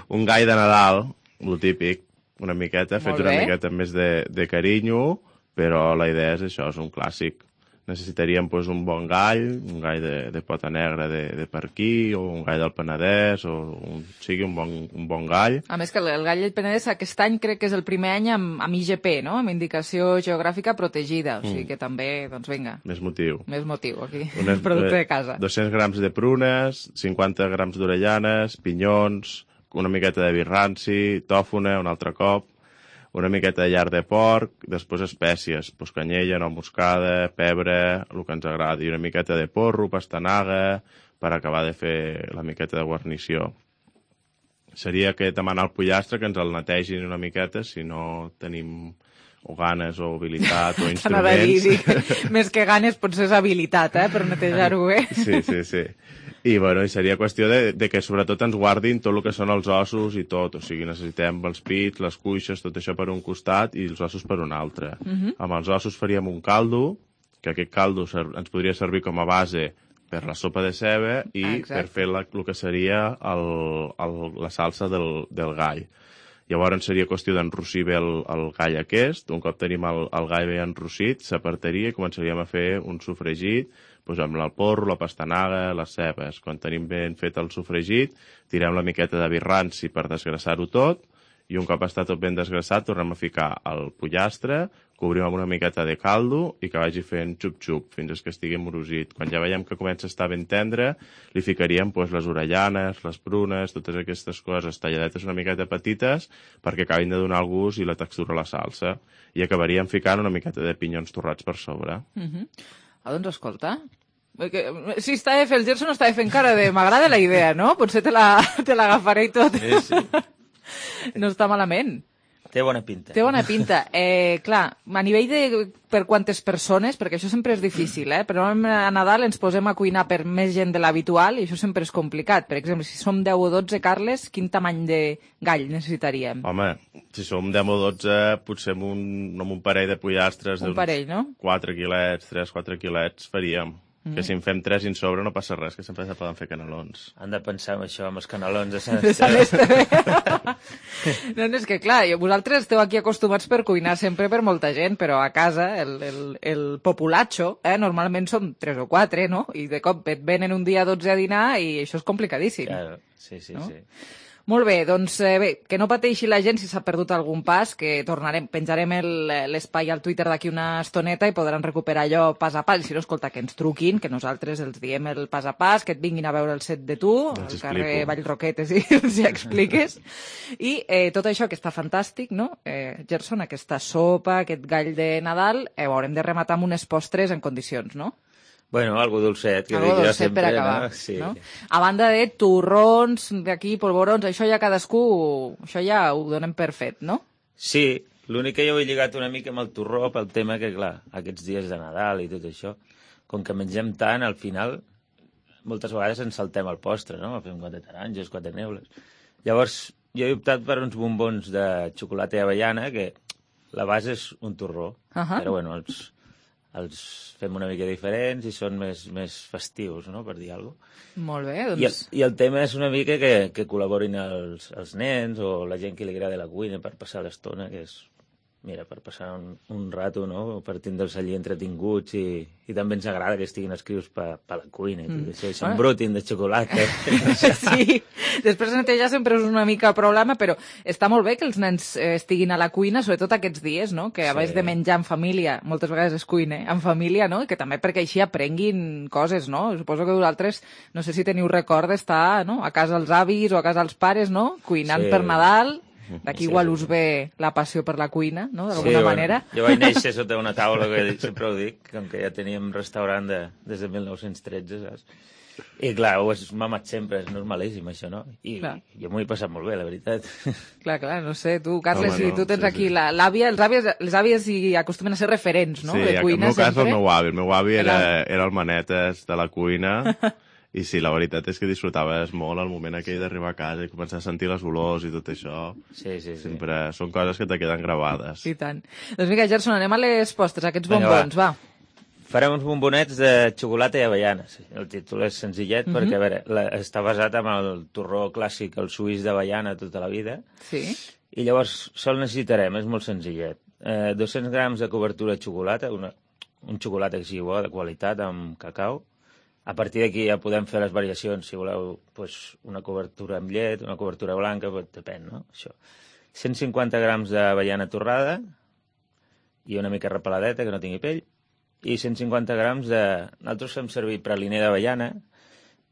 un gall de Nadal, lo típic, una miqueta, fet una miqueta més de, de carinyo, però la idea és això, és un clàssic. Necessitaríem pues, un bon gall, un gall de, de pota negra de, de per aquí, o un gall del Penedès, o un, sigui un bon, un bon gall. A més que el, el gall del Penedès aquest any crec que és el primer any amb, amb I G P, no? Amb indicació geogràfica protegida, o sigui que mm. també, doncs vinga. Més motiu. Més motiu, aquí, Unes, producte de casa. dos-cents grams de prunes, cinquanta grams d'orellanes, pinyons, una miqueta de vi ranci, tòfona, un altre cop, una miqueta de lard de porc, després espècies, pues, canyella, nou moscada, pebre, el que ens agradi, i una miqueta de porro, pastanaga, per acabar de fer la miqueta de guarnició. Seria que demanar al pollastre que ens el netegin una miqueta, si no tenim o ganes o habilitat o instruments. Dir, dir, més que ganes potser és habilitat, eh, per netejar-ho bé. Sí, sí, sí. I, bueno, i seria qüestió de, de que sobretot ens guardin tot el que són els ossos i tot, o sigui, necessitem els pits, les cuixes, tot això per un costat i els ossos per un altre. Uh-huh. Amb els ossos faríem un caldo, que aquest caldo ens podria servir com a base per la sopa de ceba i Exacte. per fer la, el que seria el, el, la salsa del, del gall. Llavors seria qüestió d'enrossir bé el, el gall aquest. Un cop tenim el, el gall bé enrossit, s'apartaria i començaríem a fer un sofregit doncs amb el porro, la pastanaga, les cebes. Quan tenim ben fet el sofregit, tirem la miqueta de vi ranci per desgrassar-ho tot i un cop està tot ben desgrassat tornem a ficar el pollastre, cobrim amb una miqueta de caldo i que vagi fent xup-xup fins que estigui morosit. Quan ja veiem que comença a estar ben tendre, li ficaríem doncs, les orellanes, les prunes, totes aquestes coses talladetes una miqueta petites perquè acabin de donar el gust i la textura a la salsa. I acabaríem ficant una miqueta de pinyons torrats per sobre. Uh -huh. Ah, doncs escolta, si està de fer el Gerson està de fent cara de m'agrada la idea, no? Potser te l'agafaré i tot. Sí, sí. No està malament. Té bona pinta. Té bona pinta. Eh, clar, a nivell de per quantes persones, perquè això sempre és difícil, eh? Però a Nadal ens posem a cuinar per més gent de l'habitual i això sempre és complicat. Per exemple, si som deu o dotze, Carles, quin tamany de gall necessitaríem? Home, si som deu o dotze, potser amb un, amb un parell de pollastres un parell, no? quatre quilets, tres quatre quilets faríem. Mm. Que si en fem tres i en sobre no passa res, que sempre se poden fer canelons. Han de pensar en això, amb els canelons de Sant Esteve. No, no, és que clar, vosaltres esteu aquí acostumats per cuinar sempre per molta gent, però a casa el, el, el populacho, eh, normalment som tres o quatre, no? I de cop et venen un dia dotze a dinar i això és complicadíssim. Claro, sí, sí, no? sí. Molt bé, doncs eh, bé, que no pateixi la gent si s'ha perdut algun pas, que tornarem, penjarem l'espai al Twitter d'aquí una estoneta i podran recuperar allò pas a pas. Si no, escolta, que ens truquin, que nosaltres els diem el pas a pas, que et vinguin a veure el set de tu, al carrer Vallroquetes i els hi expliques. I eh, tot això que està fantàstic, no? Eh, Gerson, aquesta sopa, aquest gall de Nadal, eh, ho haurem de rematar amb unes postres en condicions, no? Bueno, algo dolcet, que algo dic jo dolcet sempre, per acabar, no? Sí. no? A banda de torrons, d'aquí, polvorons, això ja cadascú, això ja ho donem per fet, no? Sí, l'únic que jo ho he lligat una mica amb el torró pel tema que, clar, aquests dies de Nadal i tot això, com que mengem tant, al final, moltes vegades ens saltem el postre, no? Fem quatre taronges, quatre neules. Llavors, jo he optat per uns bombons de xocolata i avellana, que la base és un torró, uh -huh. però bueno, els... els fem una mica diferents i són més, més festius, no?, per dir alguna cosa. Molt bé, doncs... I el, i el tema és una mica que, que col·laborin els, els nens o la gent que li agrada la cuina per passar l'estona, que és, mira, per passar un, un rato, no?, per tindre'ls allí entretinguts i, i també ens agrada que estiguin escrius per pa la cuina i tot mm. això, i s'embrutin de xocolata. Sí, després netejar sempre és una mica problema, però està molt bé que els nens eh, estiguin a la cuina, sobretot aquests dies, no?, que abans sí. de menjar en família, moltes vegades es cuina en família, no?, i que també perquè així aprenguin coses, no? Suposo que vosaltres, no sé si teniu record d'estar, no?, a casa dels avis o a casa dels pares, no?, cuinant sí. per Nadal. D'aquí sí, igual us ve la passió per la cuina, no?, d'alguna sí, manera. Bueno, jo vaig néixer sota una taula, que sempre ho dic, com que ja teníem restaurant de, des de mil nou-cents tretze, saps? I clar, ho has mamat sempre, és normalíssim això, no? I clar. jo m'ho he passat molt bé, la veritat. Clar, clar, no sé, tu, Carles, Home, no, si tu tens sí, aquí sí. l'àvia, els àvies, les àvies hi acostumen a ser referents, no?, sí, de cuina sempre. Sí, en el meu sempre. cas el meu avi, el meu avi era, era el manetes de la cuina. I sí, la veritat és que disfrutaves molt el moment aquell d'arribar a casa i començar a sentir les olors i tot això. Sí, sí, sí. Sempre són coses que te queden gravades. I tant. Doncs vinga, Gerson, anem a les postres, aquests bombons, va. va. Farem uns bombonets de xocolata i avellanes. El títol és senzillet, uh -huh. perquè, a veure, la, està basat en el torró clàssic, el suís d'avellana tota la vida. Sí. I llavors, sol necessitarem, és molt senzillet, eh, dos-cents grams de cobertura de xocolata, una, un xocolata que sigui bo, de qualitat, amb cacau. A partir d'aquí ja podem fer les variacions, si voleu, pues, una cobertura amb llet, una cobertura blanca, pues, depèn, no? Això. cent cinquanta grams d'avellana torrada i una mica repeladeta, que no tingui pell, i cent cinquanta grams de... Nosaltres fem servir praliner d'avellana,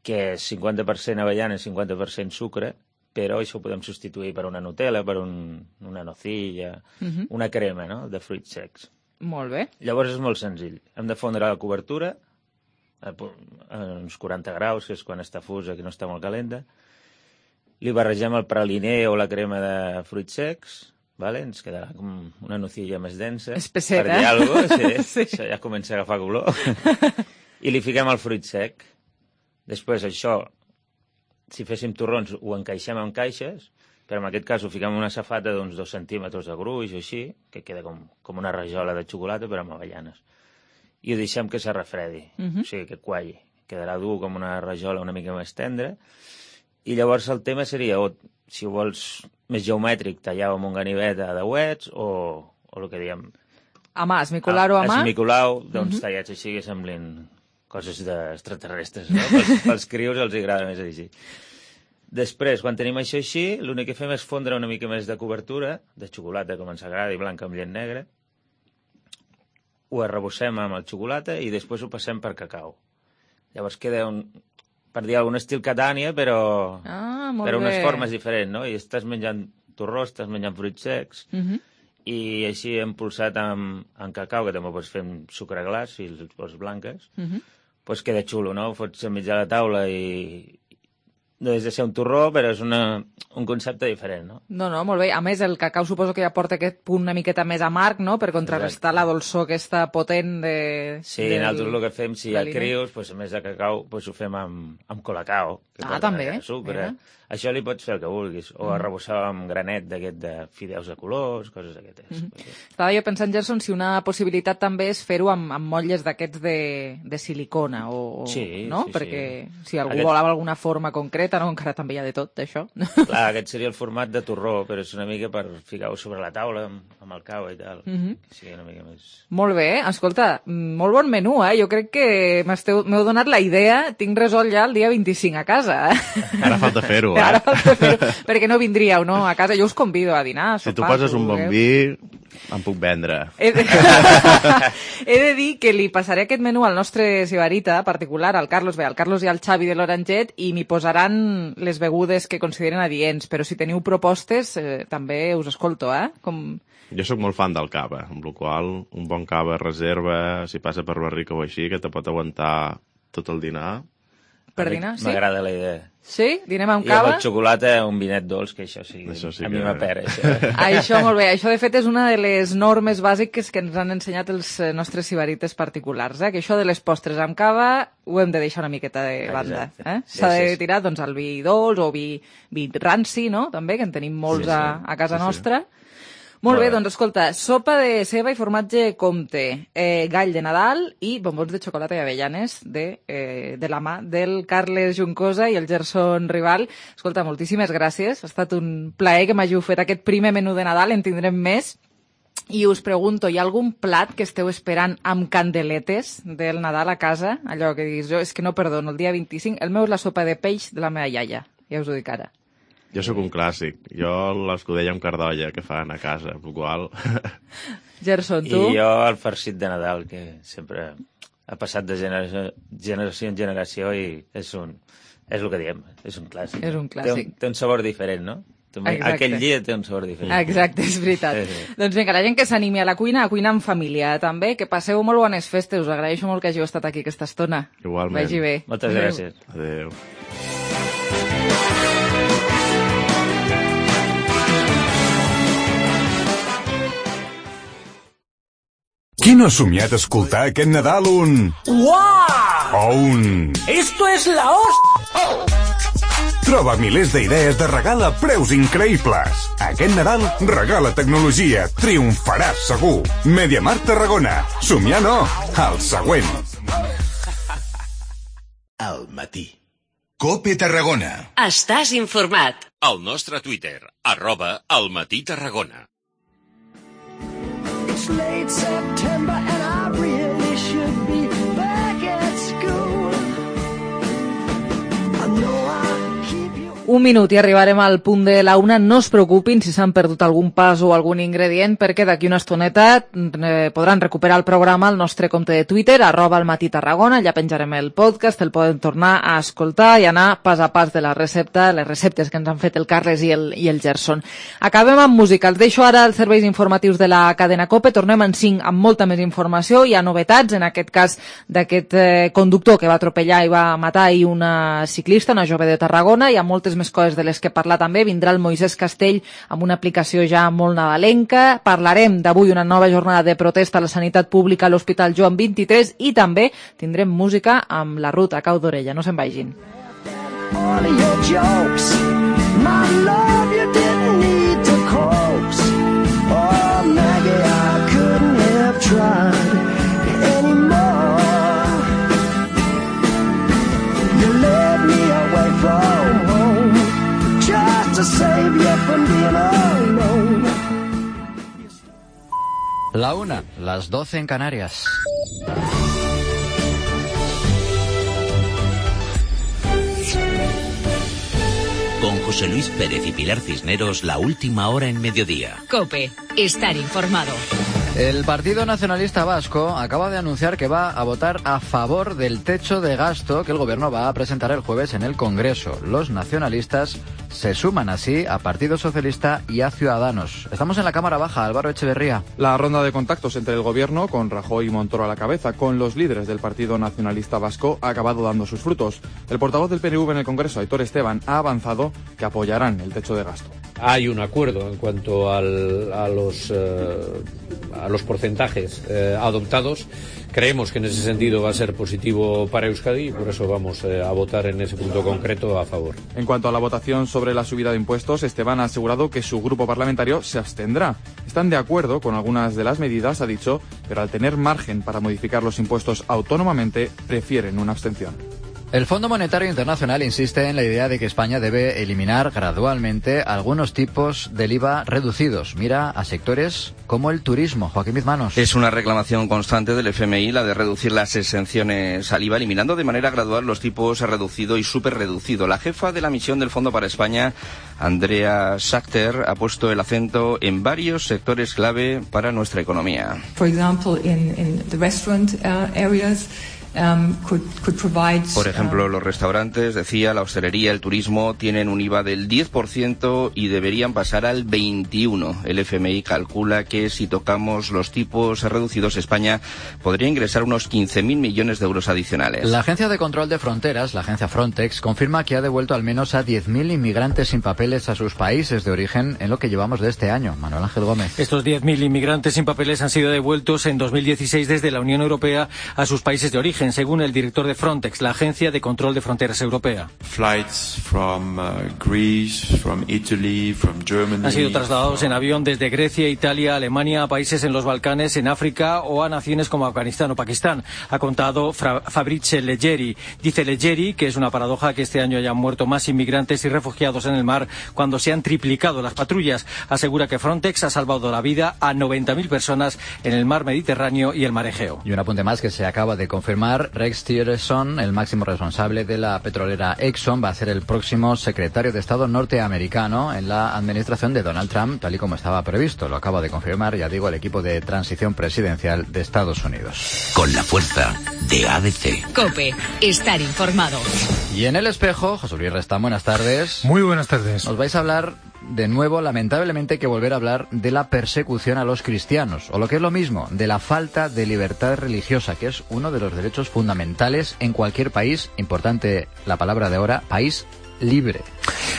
que és cinquanta per cent avellana i cinquanta per cent sucre, però això ho podem substituir per una Nutella, per un, una nocilla, uh -huh. una crema, no?, de fruits secs. Molt bé. Llavors és molt senzill. Hem de fondre la cobertura a uns quaranta graus, que és quan està fusa, que no està molt calenta. Li barregem el praliner o la crema de fruits secs, vale? Ens quedarà com una nocilla més densa. Espessera. Per dir alguna cosa, sí. Sí. Això ja comença a agafar color. I li fiquem el fruit sec. Després això, si féssim torrons, ho encaixem en caixes, però en aquest cas ho fiquem en una safata d'uns dos centímetres de gruix o així, que queda com, com una rajola de xocolata, però amb avellanes. i ho deixem que se refredi, Mhm. o sigui, que qualli. Quedarà dur com una rajola una mica més tendra. I llavors el tema seria, o, si ho vols més geomètric, tallar amb un ganivet a deuets, o, o el que diem... A mà, esmicolar-ho a mà. Esmicolar, doncs Mhm. tallats així que semblin coses d'extraterrestres, no? Pels, pels crios els agrada més així. Després, quan tenim això així, l'únic que fem és fondre una mica més de cobertura, de xocolata, com ens agrada, i blanca amb llet negra. Ho arrebossem amb el xocolata i després ho passem per cacau. Llavors queda un, per dir algun estil Catània, però Ah, molt per unes bé. formes diferents, no? I estàs menjant torró, estàs menjant fruits secs, Mhm. i així hem pulsat amb, amb cacau, que també ho pots fer amb sucre glaç, si els vols blanques, Mhm. pues queda xulo, no? Ho fots a mig de la taula i no és de ser un torró, però és una, un concepte diferent, no? No, no, molt bé. A més, el cacau suposo que ja porta aquest punt una miqueta més amarg, no?, per contrarrestar la dolçor aquesta potent de... Sí, del, nosaltres el que fem, si hi ha l'aliment. crios, pues, a més de cacau, pues, ho fem amb, amb colacao. Que Ah, porta també? Sucre. Mira. Això li pots fer el que vulguis. O Mhm. arrebossar amb granet d'aquest de fideus de colors, coses d'aquestes. Mhm. Estava jo pensant, Gerson, si una possibilitat també és fer-ho amb, amb motlles d'aquests de, de silicona, o, o- Sí, no? sí, Perquè sí. si algú Aquest- volava alguna forma concreta, no? Encara també hi ha de tot, d'això. Clar, aquest seria el format de torró, però és una mica per ficar-ho sobre la taula amb, amb el cau i tal. Mhm. Que sigui una mica més... Molt bé, escolta, molt bon menú, eh? Jo crec que m'esteu- m'heu donat la idea, tinc resolt ja el dia vint-i-cinc a casa, eh? Ara falta fer-ho, eh? Ara falta fer-ho, perquè no vindríeu, no? A casa jo us convido a dinar, a Si tu sopar, poses si un bon vulgueu. vi, em puc vendre. He de... He de dir que li passaré aquest menú al nostre sibarita particular, al Carlos, bé, al Carlos i al Xavi de l'Oranget, i m'hi posaran les begudes que consideren adients, però si teniu propostes, eh, també us escolto, eh? Com... Jo sóc molt fan del cava, amb la qual un bon cava reserva, si passa per Barrica o així, que te pot aguantar tot el dinar. Per dinar, sí? M'agrada la idea. Sí? Dinem amb I amb cava? el xocolata, un vinet dolç, que això sí, Això sí a que- mi m'apera, això. Això, molt bé. Això, de fet, és una de les normes bàsiques que ens han ensenyat els eh, nostres sibarites particulars, eh? Que això de les postres amb cava ho hem de deixar una miqueta de banda. Exacte. Eh? Sí, S'ha sí, de sí. tirar doncs, el vi dolç o vi, vi ranci, no?, també, que en tenim molts Sí, sí. a, a casa Sí, sí. nostra. Molt Molt bé, bé. doncs escolta, sopa de ceba i formatge Comte, eh, gall de Nadal i bombons de xocolata i avellanes de, eh, de la mà del Carles Juncosa i el Gerson Rival. Escolta, moltíssimes gràcies. Ha estat un plaer que m'hàgiu fet aquest primer menú de Nadal, en tindrem més. I us pregunto, hi ha algun plat que esteu esperant amb candeletes del Nadal a casa? Allò que diguis, jo és que no perdono, el dia vint-i-cinc, el meu és la sopa de peix de la meva iaia, ja us ho dic ara. Jo sóc un clàssic. Jo l'escudella amb cardolla que fan a casa, amb la qual... Gerson, tu? I jo el farcit de Nadal, que sempre ha passat de generació, generació en generació i és un... És el que diem, és un clàssic. És un Té clàssic. un, té un sabor diferent, no? També, Exacte. aquell dia té un sabor diferent. Exacte, és veritat. Sí, sí. Doncs vinga, la gent que s'animi a la cuina, a cuinar en família, també, que passeu molt bones festes. Us agraeixo molt que hàgiu estat aquí aquesta estona. Igualment. Vagi bé. Moltes Adéu. gràcies. Adéu. Qui no ha somiat escoltar aquest Nadal un... ¡Guau! o un... ¡Esto es la hostia! Troba milers d'idees de regal a preus increïbles. Aquest Nadal regala tecnologia. Triomfaràs segur. Mediamart Tarragona. Somiar no. El següent. Al matí. Cope Tarragona. Estàs informat. Al nostre Twitter, arroba al matí Tarragona. It's late September and I really should be back at school. I know I keep you... Un minut i arribarem al punt de la una. No es preocupin si s'han perdut algun pas o algun ingredient, perquè d'aquí una estoneta eh, podran recuperar el programa al nostre compte de Twitter, arroba al matí Tarragona. Allà penjarem el podcast, el poden tornar a escoltar i anar pas a pas de la recepta, les receptes que ens han fet el Carles i el, i el Gerson. Acabem amb música. Els deixo ara els serveis informatius de la cadena COPE. Tornem en cinc amb molta més informació. Hi ha novetats, en aquest cas d'aquest eh, conductor que va atropellar i va matar ahir una ciclista, una jove de Tarragona. Hi ha moltes més coses de les que parlar també. Vindrà el Moisès Castell amb una aplicació ja molt nadalenca. Parlarem d'avui una nova jornada de protesta a la sanitat pública a l'Hospital Joan vint-i-tres i també tindrem música amb la Ruth a cau d'orella. No se'n vagin. All of your jokes, my love, you didn't need to coax. Oh, Maggie, I couldn't have tried any more. La una, las doce en Canarias. Con José Luis Pérez y Pilar Cisneros, la última hora en mediodía. COPE, estar informado. El Partido Nacionalista Vasco acaba de anunciar que va a votar a favor del techo de gasto que el gobierno va a presentar el jueves en el Congreso. Los nacionalistas se suman así a Partido Socialista y a Ciudadanos. Estamos en la Cámara Baja, Álvaro Echeverría. La ronda de contactos entre el gobierno, con Rajoy y Montoro a la cabeza, con los líderes del Partido Nacionalista Vasco, ha acabado dando sus frutos. El portavoz del P N V en el Congreso, Aitor Esteban, ha avanzado que apoyarán el techo de gasto. Hay un acuerdo en cuanto al, a, los, eh, a los porcentajes eh, adoptados. Creemos que en ese sentido va a ser positivo para Euskadi y por eso vamos eh, a votar en ese punto concreto a favor. En cuanto a la votación sobre la subida de impuestos, Esteban ha asegurado que su grupo parlamentario se abstendrá. Están de acuerdo con algunas de las medidas, ha dicho, pero al tener margen para modificar los impuestos autónomamente, prefieren una abstención. El Fondo Monetario Internacional insiste en la idea de que España debe eliminar gradualmente algunos tipos del I V A reducidos. Mira a sectores como el turismo. Joaquín Bizmanos. Es una reclamación constante del F M I la de reducir las exenciones al I V A, eliminando de manera gradual los tipos reducido y superreducido. La jefa de la misión del Fondo para España, Andrea Schachter, ha puesto el acento en varios sectores clave para nuestra economía. For example, in, in the restaurant uh, areas. Um, could, could provide, Por ejemplo, los restaurantes, decía, la hostelería, el turismo, tienen un I V A del diez por ciento y deberían pasar al veintiuno por ciento. El F M I calcula que si tocamos los tipos reducidos, España podría ingresar unos quince mil millones de euros adicionales. La Agencia de Control de Fronteras, la agencia Frontex, confirma que ha devuelto al menos a diez mil inmigrantes sin papeles a sus países de origen en lo que llevamos de este año. Manuel Ángel Gómez. Estos diez mil inmigrantes sin papeles han sido devueltos en dos mil dieciséis desde la Unión Europea a sus países de origen, según el director de Frontex, la Agencia de Control de Fronteras Europea. Flights from, uh, Greece, from Italy, from Germany. Han sido trasladados en avión desde Grecia, Italia, Alemania, a países en los Balcanes, en África o a naciones como Afganistán o Pakistán. Ha contado Fra- Fabrice Leggeri. Dice Leggeri que es una paradoja que este año hayan muerto más inmigrantes y refugiados en el mar cuando se han triplicado las patrullas. Asegura que Frontex ha salvado la vida a noventa mil personas en el mar Mediterráneo y el mar Egeo. Y un apunte más que se acaba de confirmar. Rex Tillerson, el máximo responsable de la petrolera Exxon, va a ser el próximo secretario de Estado norteamericano en la administración de Donald Trump, tal y como estaba previsto. Lo acaba de confirmar, ya digo, el equipo de transición presidencial de Estados Unidos. Con la fuerza de A D C. COPE, estar informado. Y en El Espejo, José Luis Restán, buenas tardes. Muy buenas tardes. Nos vais a hablar, de nuevo, lamentablemente, hay que volver a hablar de la persecución a los cristianos, o lo que es lo mismo, de la falta de libertad religiosa, que es uno de los derechos fundamentales en cualquier país, importante la palabra de ahora, país libre.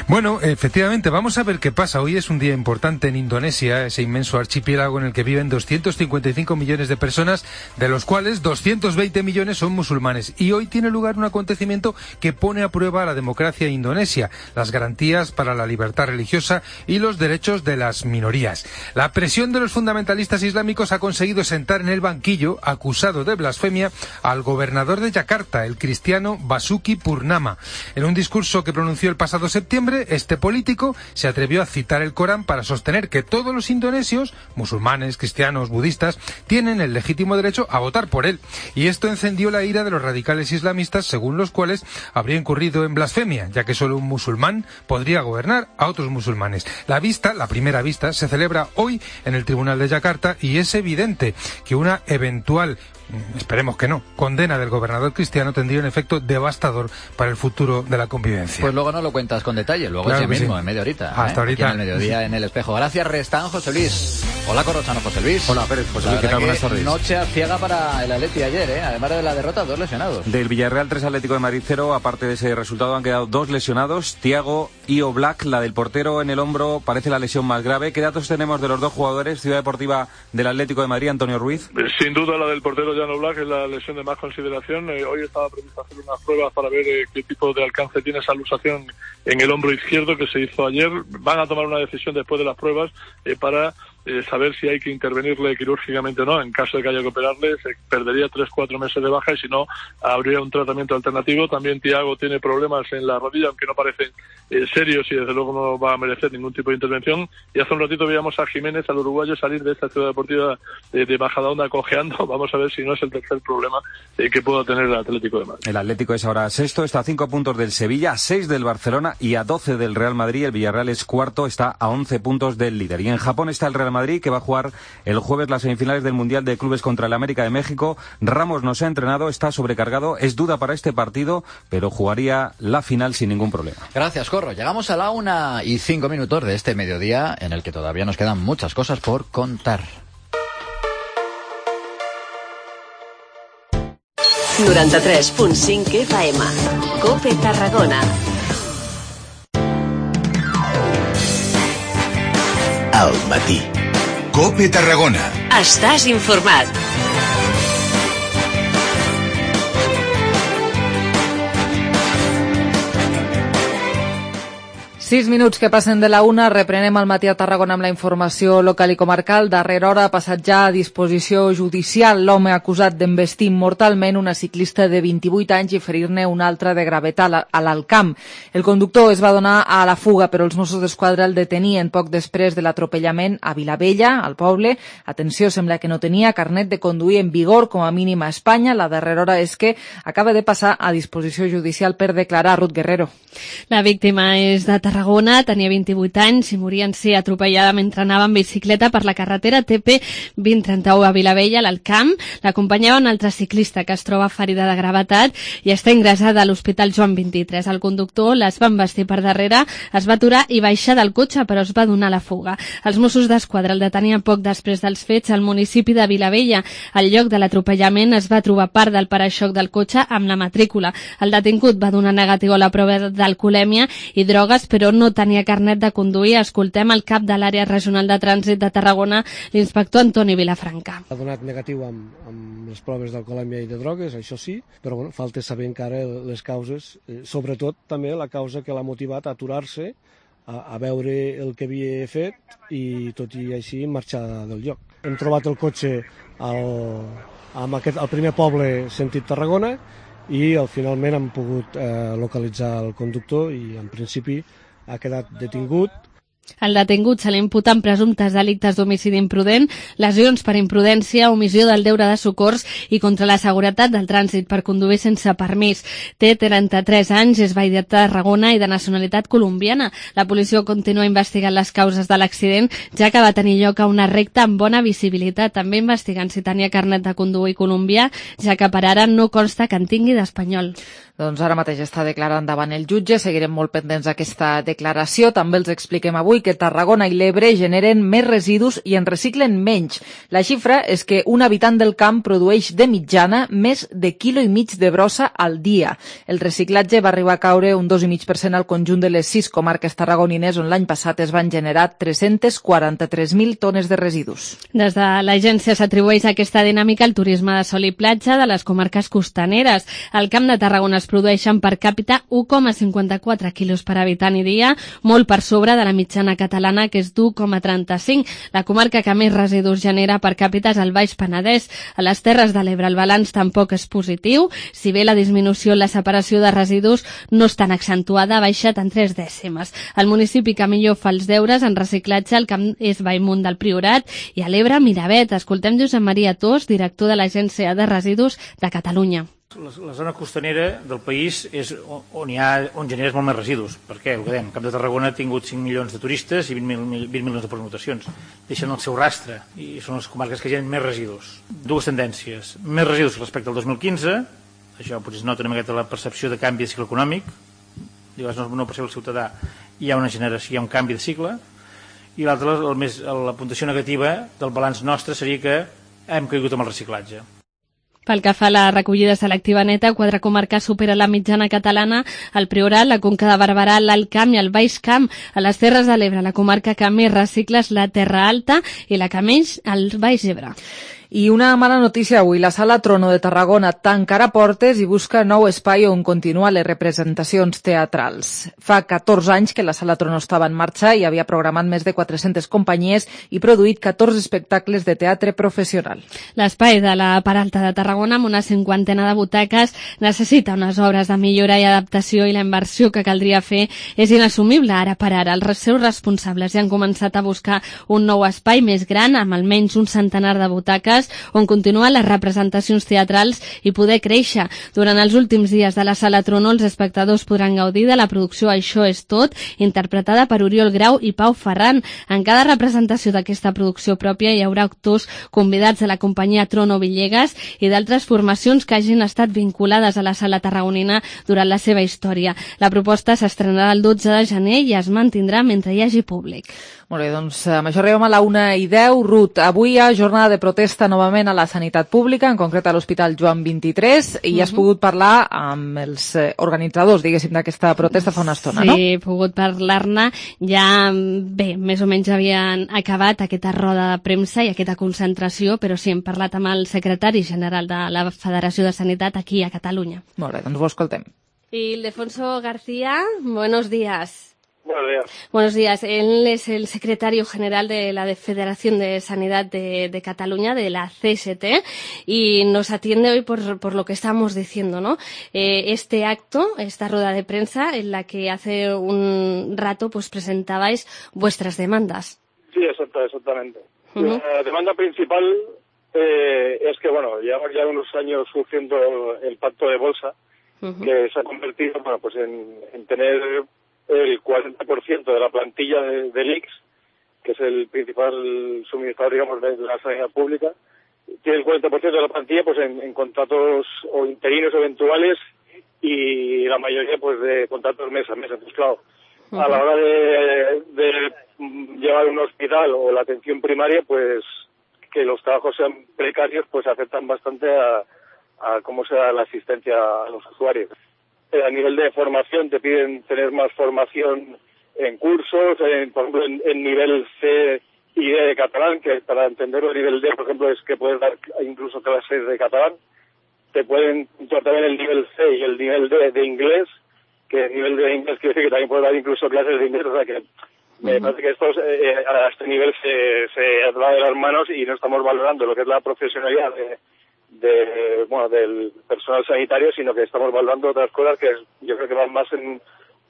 Bueno, efectivamente, vamos a ver qué pasa. Hoy es un día importante en Indonesia, ese inmenso archipiélago en el que viven doscientos cincuenta y cinco millones de personas, de los cuales doscientos veinte millones son musulmanes. Y hoy tiene lugar un acontecimiento que pone a prueba la democracia indonesia, las garantías para la libertad religiosa y los derechos de las minorías. La presión de los fundamentalistas islámicos ha conseguido sentar en el banquillo, acusado de blasfemia, al gobernador de Yakarta, el cristiano Basuki Purnama. En un discurso que pronunció el pasado septiembre, este político se atrevió a citar el Corán para sostener que todos los indonesios, musulmanes, cristianos, budistas, tienen el legítimo derecho a votar por él. Y esto encendió la ira de los radicales islamistas, según los cuales habría incurrido en blasfemia, ya que solo un musulmán podría gobernar a otros musulmanes. La vista, la primera vista, se celebra hoy en el Tribunal de Yakarta y es evidente que una eventual, esperemos que no, condena del gobernador cristiano tendría un efecto devastador para el futuro de la convivencia. Pues luego no lo cuentas con detalle, luego claro ese mismo, sí. en media horita. Hasta ¿eh? ahorita. Aquí en el mediodía en El Espejo. Gracias, Restán, José Luis. Hola, Corrochano, José Luis. Hola, Pérez, José Luis, ¿qué tal? Buenas tardes. Noche ciega para el Atleti ayer, ¿eh? Además de la derrota, dos lesionados. Del Villarreal tres, Atlético de Madrid cero, aparte de ese resultado han quedado dos lesionados, Thiago y Oblak. La del portero en el hombro parece la lesión más grave. ¿Qué datos tenemos de los dos jugadores? Ciudad Deportiva del Atlético de Madrid, Antonio Ruiz. Sin duda la del portero Jan Oblak es la lesión de más consideración. Eh, hoy estaba previsto hacer unas pruebas para ver eh, qué tipo de alcance tiene esa luxación en el hombro izquierdo que se hizo ayer. Van a tomar una decisión después de las pruebas eh, para eh, saber si hay que intervenirle quirúrgicamente o no. En caso de que haya que operarle, se perdería tres, cuatro meses de baja y si no, habría un tratamiento alternativo. También Thiago tiene problemas en la rodilla, aunque no parecen eh, serios y desde luego no va a merecer ningún tipo de intervención. Y hace un ratito veíamos a Jiménez, al uruguayo, salir de esta ciudad deportiva de, de Majadahonda cojeando. Vamos a ver si no es el tercer problema eh, que pueda tener el Atlético de Madrid. El Atlético es ahora sexto, está a cinco puntos del Sevilla, a seis del Barcelona y a doce del Real Madrid. El Villarreal es cuarto, está a once puntos del líder. Y en Japón está el Real Madrid, que va a jugar el jueves las semifinales del Mundial de Clubes contra el América de México. Ramos no se ha entrenado, está sobrecargado, es duda para este partido, pero jugaría la final sin ningún problema. Gracias, Corro. Llegamos a la una y cinco minutos de este mediodía, en el que todavía nos quedan muchas cosas por contar. noranta-tres punt cinc F M. COPE Tarragona. Al matí. COPE Tarragona. Estàs informat. Sis minuts que passen de la una, reprenem el matí a Tarragona amb la informació local i comarcal. Darrera hora ha passat ja a disposició judicial l'home acusat d'embestir mortalment una ciclista de vint-i-vuit anys i ferir-ne una altra de gravetat a l'Alcamp. El conductor es va donar a la fuga, però els Mossos d'Esquadra el detenien poc després de l'atropellament a Vilavella, al poble. Atenció, sembla que no tenia carnet de conduir en vigor, com a mínim a Espanya. La darrera hora és que acaba de passar a disposició judicial per declarar. Ruth Guerrero. La víctima és de Tarragona, tenia vint-i-vuit anys i moria en ser atropellada mentre anava en bicicleta per la carretera T P vint trenta-u a Vilavella, a l'Alcamp. L'acompanyava un altre ciclista que es troba ferida de gravetat i està ingressada a l'Hospital Joan vint-i-tres. El conductor les va embestir per darrere, es va aturar i baixar del cotxe, però es va donar la fuga. Els Mossos d'Esquadra el detenien poc després dels fets al municipi de Vilavella. Al lloc de l'atropellament es va trobar part del paraixoc del cotxe amb la matrícula. El detingut va donar negatiu a la prova d'alcoholèmia i drogues, però no tenia carnet de conduir. Escoltem el cap de l'àrea regional de trànsit de Tarragona, l'inspector Antoni Vilafranca. Ha donat negatiu amb, amb les proves d'alcoholèmia i de drogues, això sí, però bueno, falta saber encara les causes, eh, sobretot també la causa que l'ha motivat a aturar-se, a, a veure el que havia fet i tot i així marxar del lloc. Hem trobat el cotxe al, amb aquest, al primer poble sentit Tarragona i al finalment hem pogut eh, localitzar el conductor i en principi ha quedat detingut. El detingut se li imputen presumptes delictes d'homicidi imprudent, lesions per imprudència, omissió del deure de socors i contra la seguretat del trànsit per conduir sense permís. Té trenta-tres anys, és veí de Tarragona i de nacionalitat colombiana. La policia continua investigant les causes de l'accident, ja que va tenir lloc a una recta amb bona visibilitat, també investigant si tenia carnet de conduir colombià, ja que per ara no consta que en tingui d'espanyol. Doncs ara mateix està declarant davant el jutge, seguirem molt pendents d'aquesta declaració. També els expliquem avui que Tarragona i l'Ebre generen més residus i en reciclen menys. La xifra és que un habitant del camp produeix de mitjana més de quilo i mig de brossa al dia. El reciclatge va arribar a caure un dos coma cinc per cent al conjunt de les sis comarques tarragonines, on l'any passat es van generar tres-cents quaranta-tres mil tones de residus. Des de l'agència s'atribueix aquesta dinàmica al turisme de sol i platja de les comarques costaneres. Al Camp de Tarragona es produeixen per càpita u coma cinquanta-quatre quilos per habitant i dia, molt per sobre de la mitjana catalana, que és d'u coma trenta-cinc. La comarca que més residus genera per càpita és el Baix Penedès. A les Terres de l'Ebre el balanç tampoc és positiu, si bé la disminució en la separació de residus no és tan accentuada, ha baixat en tres dècimes. El municipi que millor fa els deures en reciclatge al Camp és Bellmunt del Priorat i a l'Ebre Miravet. Escoltem Josep Maria Tos, director de l'Agència de Residus de Catalunya. La, la zona costanera del país és on hi ha, on generes molt més residus. Per què? El que dèiem, Camp de Tarragona ha tingut cinc milions de turistes i vint milions de pernoctacions. Deixen el seu rastre i són les comarques que generen més residus. Dues tendències. Més residus respecte al dos mil quinze, això potser es nota una miqueta la percepció de canvi de cicle econòmic, llavors no, no perceu el ciutadà, hi ha una generació, hi ha un canvi de cicle, i l'altra, la puntuació negativa del balanç nostre seria que hem caigut amb el reciclatge. Pel que fa a la recollida selectiva neta, quatre comarques superen la mitjana catalana, el Priorat, la Conca de Barberà, l'Alt Camp i el Baix Camp. A les Terres de l'Ebre, la comarca que més recicla és la Terra Alta i la que menys, el Baix Ebre. I una mala notícia avui. La Sala Trono de Tarragona tancarà portes i busca nou espai on continuar les representacions teatrals. Fa catorze anys que la Sala Trono estava en marxa i havia programat més de quatre-centes companyies i produït catorze espectacles de teatre professional. L'espai de la Peralta de Tarragona, amb una cinquantena de butaques, necessita unes obres de millora i adaptació i la inversió que caldria fer és inassumible ara per ara. Els seus responsables ja han començat a buscar un nou espai més gran, amb almenys un centenar de butaques, on continuar les representacions teatrals i poder créixer. Durant els últims dies de la Sala Trono, els espectadors podran gaudir de la producció Això és tot, interpretada per Oriol Grau i Pau Ferran. En cada representació d'aquesta producció pròpia hi haurà actors convidats de la companyia Trono Villegas i d'altres formacions que hagin estat vinculades a la Sala Tarragonina durant la seva història. La proposta s'estrenarà el dotze de gener i es mantindrà mentre hi hagi públic. Molt bé, doncs amb això arribem a la una i deu. Ruth, avui hi ha jornada de protesta novament a la sanitat pública, en concret a l'Hospital Joan vint-i-tres, i uh-huh. has pogut parlar amb els eh, organitzadors, diguéssim, d'aquesta protesta fa una estona, sí, no? Sí, he pogut parlar-ne. Ja, bé, més o menys havien acabat aquesta roda de premsa i aquesta concentració, però sí, hem parlat amb el secretari general de la Federació de Sanitat aquí a Catalunya. Molt bé, doncs ho escoltem. Y Ildefonso García, buenos días. Buenos días. Buenos días. Él es el secretario general de la Federación de Sanidad de, de Cataluña, de la C S T, y nos atiende hoy por, por lo que estamos diciendo, ¿no? Eh, este acto, esta rueda de prensa, en la que hace un rato pues presentabais vuestras demandas. Sí, exacto, exactamente. Uh-huh. La demanda principal eh, es que, bueno, llevamos ya unos años sufriendo el pacto de bolsa, uh-huh. que se ha convertido, bueno, pues en, en tener el cuarenta por ciento de la plantilla de, del I C S, que es el principal suministrador, digamos, de la sanidad pública, tiene el cuarenta por ciento de la plantilla pues en, en contratos o interinos eventuales y la mayoría pues de contratos mes a mes. Entonces, claro, uh-huh. a la hora de, de llevar un hospital o la atención primaria, pues que los trabajos sean precarios, pues afectan bastante a, a cómo se da la asistencia a los usuarios. A nivel de formación te piden tener más formación en cursos, en, por ejemplo en, en nivel C y D de catalán, que para entenderlo el nivel D, por ejemplo, es que puedes dar incluso clases de catalán. Te pueden puntuar también el nivel C y el nivel D de inglés, que el nivel D de inglés quiere decir que también puedes dar incluso clases de inglés, o sea que me uh-huh. parece que esto eh, a este nivel se, se va de las manos y no estamos valorando lo que es la profesionalidad de de bueno del personal sanitario, sino que estamos valorando otras cosas que yo creo que van más en,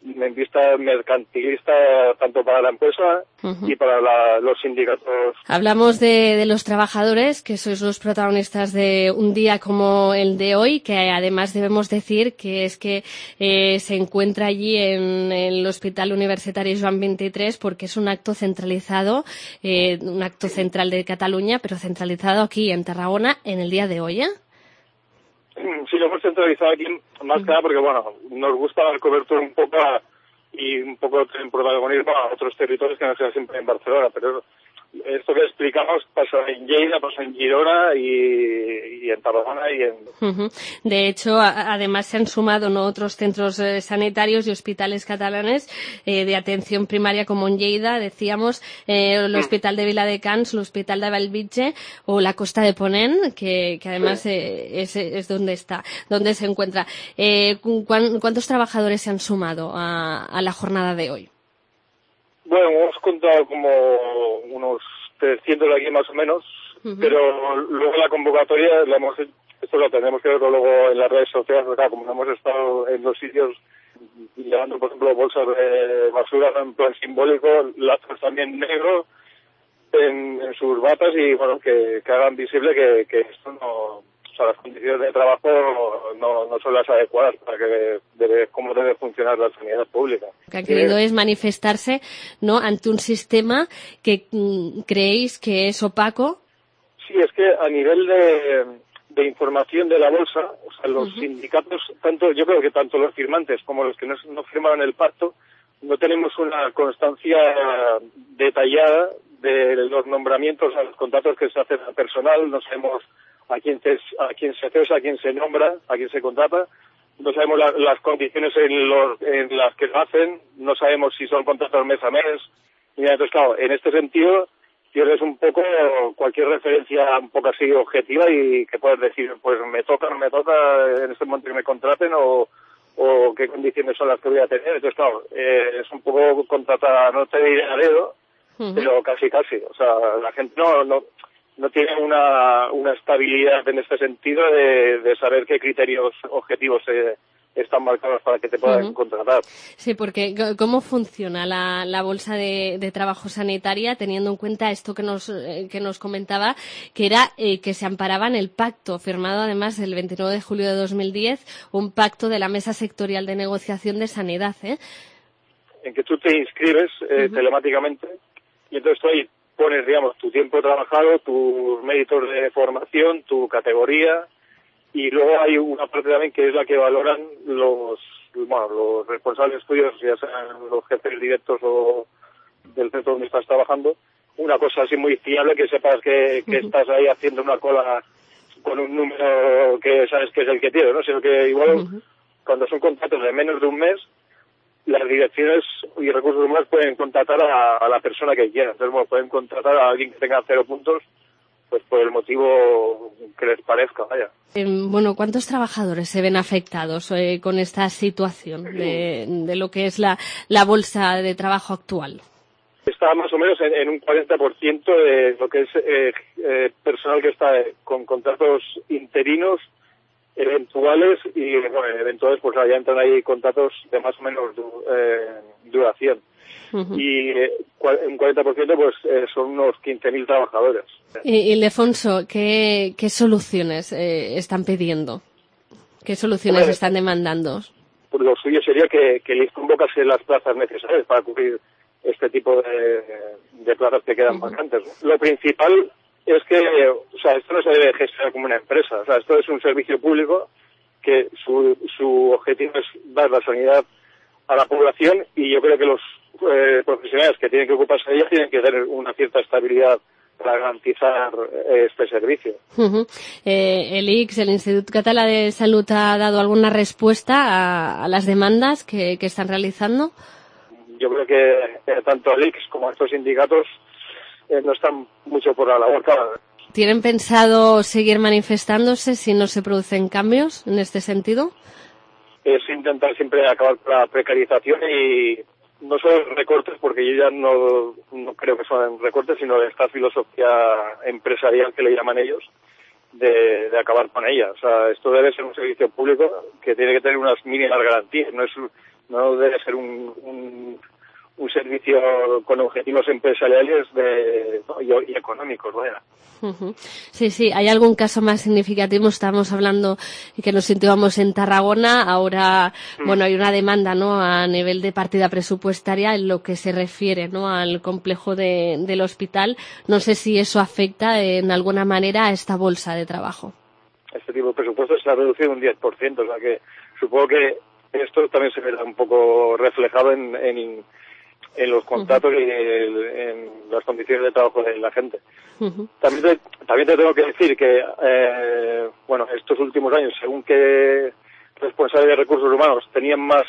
en vista mercantilista tanto para la empresa uh-huh. y para la, los sindicatos. Hablamos de, de los trabajadores, que sois los protagonistas de un día como el de hoy, que además debemos decir que es que eh, se encuentra allí en el Hospital Universitario Joan veintitrés porque es un acto centralizado, eh, un acto central de Cataluña, pero centralizado aquí en Tarragona en el día de hoy, ¿eh? Sí, lo hemos centralizado aquí más que nada porque, bueno, nos gusta dar cobertura un poco a, y un poco en protagonismo a otros territorios que no sean siempre en Barcelona, pero esto que explicamos pasa en Lleida, pasa en Girona y, y en Tarragona y en... Uh-huh. De hecho, a, además se han sumado ¿no? otros centros eh, sanitarios y hospitales catalanes eh, de atención primaria como en Lleida, decíamos, eh, el uh-huh. Hospital de Viladecans, el Hospital de Bellvitge o la Costa de Ponent, que, que además sí. eh, es, es donde está, donde se encuentra. Eh, ¿cuán, ¿Cuántos trabajadores se han sumado a, a la jornada de hoy? Bueno, hemos contado como unos trescientos aquí más o menos, uh-huh. pero luego la convocatoria, la hemos, esto lo tendremos que ver luego en las redes sociales, porque como hemos estado en los sitios llevando, por ejemplo, bolsas de basura en plan simbólico, lazos también negros en, en sus batas y, bueno, que, que hagan visible que, que esto no... O sea, las condiciones de trabajo no, no son las adecuadas para que debe, cómo debe funcionar la sanidad pública. Lo que han querido es manifestarse ¿no? ante un sistema que mm, creéis que es opaco. Sí, es que a nivel de, de información de la bolsa, o sea, los uh-huh. sindicatos, tanto yo creo que tanto los firmantes como los que no, no firmaron el pacto, no tenemos una constancia detallada de los nombramientos, a los contratos que se hacen al personal, no sabemos a quién se, a quién se cesa, a quién se nombra, a quién se contrata, no sabemos la, las condiciones en, los, en las que lo hacen, no sabemos si son contratos mes a mes, y entonces claro, en este sentido pierdes un poco cualquier referencia un poco así objetiva y que puedas decir, pues me toca, no me toca en este momento que me contraten o, o qué condiciones son las que voy a tener. Entonces, claro, eh, es un poco contratar, no te diré a dedo, uh-huh. pero casi casi. O sea, la gente no no, no tiene una, una estabilidad en este sentido de, de saber qué criterios objetivos se están marcados para que te puedan uh-huh. contratar. Sí, porque ¿cómo funciona la, la bolsa de, de trabajo sanitaria teniendo en cuenta esto que nos eh, que nos comentaba, que era eh, que se amparaba en el pacto firmado además el veintinueve de julio de dos mil diez, un pacto de la Mesa Sectorial de Negociación de Sanidad, ¿eh? En que tú te inscribes eh, uh-huh. telemáticamente y entonces tú ahí pones, digamos, tu tiempo trabajado, tus méritos de formación, tu categoría. Y luego hay una parte también que es la que valoran los bueno, los responsables de estudios, ya sean los jefes directos o del centro donde estás trabajando, una cosa así muy fiable, que sepas que, que uh-huh. estás ahí haciendo una cola con un número que sabes que es el que tienes, ¿no? Sino que igual uh-huh. cuando son contratos de menos de un mes, las direcciones y recursos humanos pueden contratar a, a la persona que quieran. Entonces, bueno, pueden contratar a alguien que tenga cero puntos, pues por el motivo que les parezca, vaya. Eh, bueno, ¿cuántos trabajadores se ven afectados eh, con esta situación de, de lo que es la, la bolsa de trabajo actual? Está más o menos en, en un cuarenta por ciento de lo que es eh, eh, personal que está con contratos interinos, eventuales y, bueno, eventuales, pues ya entran ahí contratos de más o menos du, eh, duración. Uh-huh. Y eh, un cuarenta por ciento pues eh, son unos quince mil trabajadores. Y, Ildefonso, ¿qué, qué soluciones eh, están pidiendo? ¿Qué soluciones bueno, están demandando? Pues lo suyo sería que, que les convocase las plazas necesarias para cubrir este tipo de, de plazas que quedan uh-huh. vacantes. Lo principal es que, o sea, esto no se debe gestionar como una empresa. O sea, esto es un servicio público que su, su objetivo es dar la sanidad a la población y yo creo que los eh, profesionales que tienen que ocuparse de ella tienen que tener una cierta estabilidad para garantizar eh, este servicio. Uh-huh. Eh, el I C S, el Instituto Català de Salud, ¿ha dado alguna respuesta a, a las demandas que, que están realizando? Yo creo que eh, tanto el I C S como estos sindicatos eh, no están mucho por la labor. ¿Tienen pensado seguir manifestándose si no se producen cambios en este sentido? Es intentar siempre acabar con la precarización y no son recortes, porque yo ya no, no creo que son recortes, sino de esta filosofía empresarial que le llaman ellos, de, de acabar con ella. O sea, esto debe ser un servicio público que tiene que tener unas mínimas garantías, no es no debe ser un, un, un servicio con objetivos empresariales de, ¿no? y, y económicos, vaya. Uh-huh. Sí, sí. ¿Hay algún caso más significativo? Estamos hablando y que nos situamos en Tarragona. Ahora, mm. bueno, hay una demanda, ¿no?, a nivel de partida presupuestaria en lo que se refiere, ¿no?, al complejo de, del hospital. No sé si eso afecta en alguna manera a esta bolsa de trabajo. Este tipo de presupuesto se ha reducido un diez por ciento, o sea que supongo que esto también se verá un poco reflejado en, en en los contratos uh-huh. y en, en las condiciones de trabajo de la gente. Uh-huh. También te, también te tengo que decir que, eh, bueno, estos últimos años, según que responsables de recursos humanos tenían más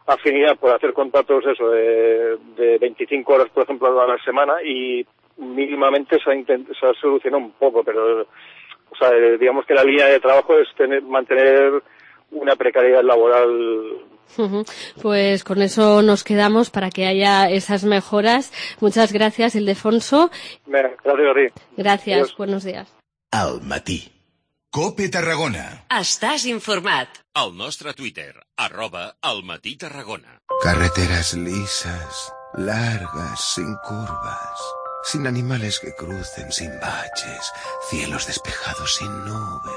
afinidad por hacer contratos, eso, de, de veinticinco horas, por ejemplo, a la semana, y mínimamente se ha, intent, se ha solucionado un poco, pero, o sea, digamos que la línea de trabajo es tener, mantener una precariedad laboral. Uh-huh. Pues con eso nos quedamos para que haya esas mejoras. Muchas gracias, Ildefonso. Gracias a ti. Gracias, Adiós. Buenos días. Al matí. Cope Tarragona. Estàs informat. Al nostre Twitter, arroba al matí Tarragona. Carreteras lisas, largas, sin curvas, sin animales que crucen, sin baches, cielos despejados sin nubes.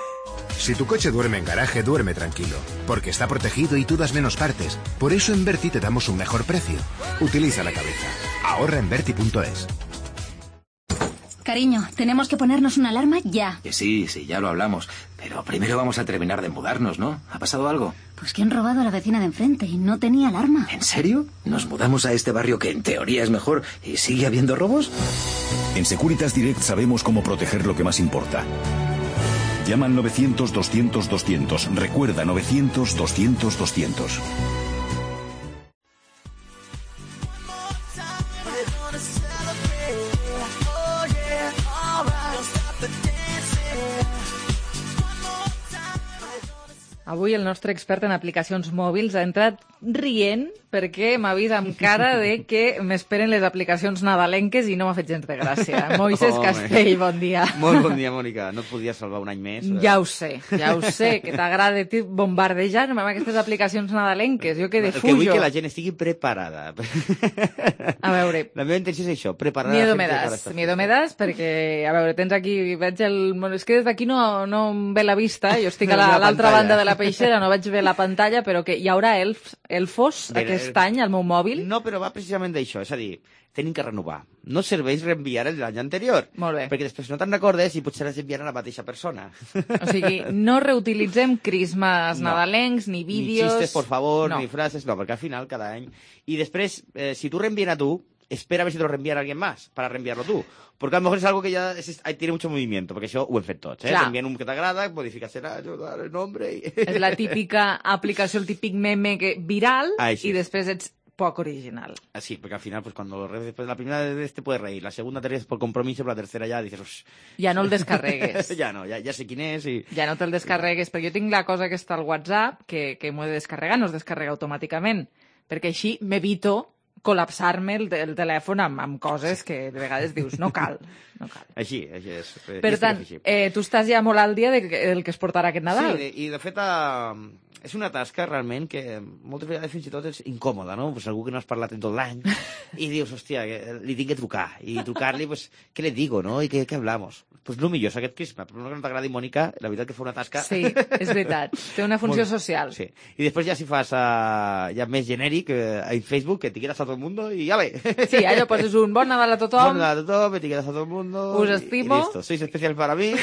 Si tu coche duerme en garaje, duerme tranquilo, porque está protegido y tú das menos partes. Por eso en Berti te damos un mejor precio. Utiliza la cabeza. Ahorra en Berti punto es. Cariño, tenemos que ponernos una alarma ya. Que sí, sí, ya lo hablamos. Pero primero vamos a terminar de mudarnos, ¿no? ¿Ha pasado algo? Pues que han robado a la vecina de enfrente y no tenía alarma. ¿En serio? ¿Nos mudamos a este barrio que en teoría es mejor y sigue habiendo robos? En Securitas Direct sabemos cómo proteger lo que más importa. Llama al novecientos doscientos doscientos. Recuerda, novecientos doscientos doscientos. Avui el nostre expert en aplicacions mòbils ha entrat rient perquè m'ha vist amb cara de que m'esperen les aplicacions nadalenques i no m'ha fet gens de gràcia. Moisés Home. Castell, bon dia. Molt bon dia, Mònica. No et podies salvar un any més. Ja ho sé, ja ho sé, que t'agrada bombardejar-me amb aquestes aplicacions nadalenques. Jo que El defujo. que vull que la gent estigui preparada. A veure... La meva intenció és això, preparar Miedo la me gent per das, estar- miedo me das, perquè, a veure, tens aquí, veig el... És que des d'aquí no, no em ve la vista, jo estic a la- La a l'altra pantalla. banda de la peixera, no veig bé la pantalla, però que hi haurà elfs, elfos Mira, aquest eh, any al meu mòbil. No, però va precisament d'això, és a dir, tenim que renovar. No serveix reenviar el de l'any anterior. Molt bé. Perquè després no te'n recordes i potser has d'enviar a la mateixa persona. O sigui, no reutilitzem crismes No. nadalencs, ni Ni vídeos... xistes, por favor, no. ni frases, no, perquè al final cada any... I després, eh, si tu reenvíen a tu, espera a ver si te lo reenvían a alguien más para reenviarlo tú. Porque a lo mejor es algo que ya es, ahí tiene mucho movimiento, porque això ho hem fet tots, eh? Clar. T'envien un que t'agrada, modificas el, el nombre... I... És la típica aplicació, el típic meme que, viral, Ai, sí. i després ets poc original. Así, porque al final, pues cuando lo reves después de la primera vez te puedes reír, la segunda te ríes por compromiso, pero la tercera ya dices... "Ush". Ja no el descarregues. ja no, ja, ja sé quin és i... Ja no te'l descarregues, perquè jo tinc la cosa que està al WhatsApp, que, que m'ho he de descarregar, no es descarrega automàticament, perquè així m'evito col·lapsar-me el, el telèfon amb, amb coses que de vegades dius, no cal, no cal. Així, així és. Per tant, eh, tu estàs ja molt al dia de, del que es portarà aquest Nadal. Sí, i de fet eh, és una tasca realment que moltes vegades fins i tot és incòmoda, no? Pues algú que no has parlat en tot l'any i dius, hòstia, que li tinc que trucar. I trucar-li, pues, què le digo, no? I què, què hablamos? Pues lo millor és aquest crisma, però no que no t'agradi, Mònica, la veritat que fa una tasca... Sí, és veritat. Té una funció Molt- social. Sí. I després ja si fas uh, ja més genèric uh, en Facebook, que etiquetes a tot el mundo i ja ve. Sí, allò poses un bon Nadal a tothom. Bon Nadal a tothom, etiquetes a todo el mundo. Us y- estimo. Y listo, sois especial para mí.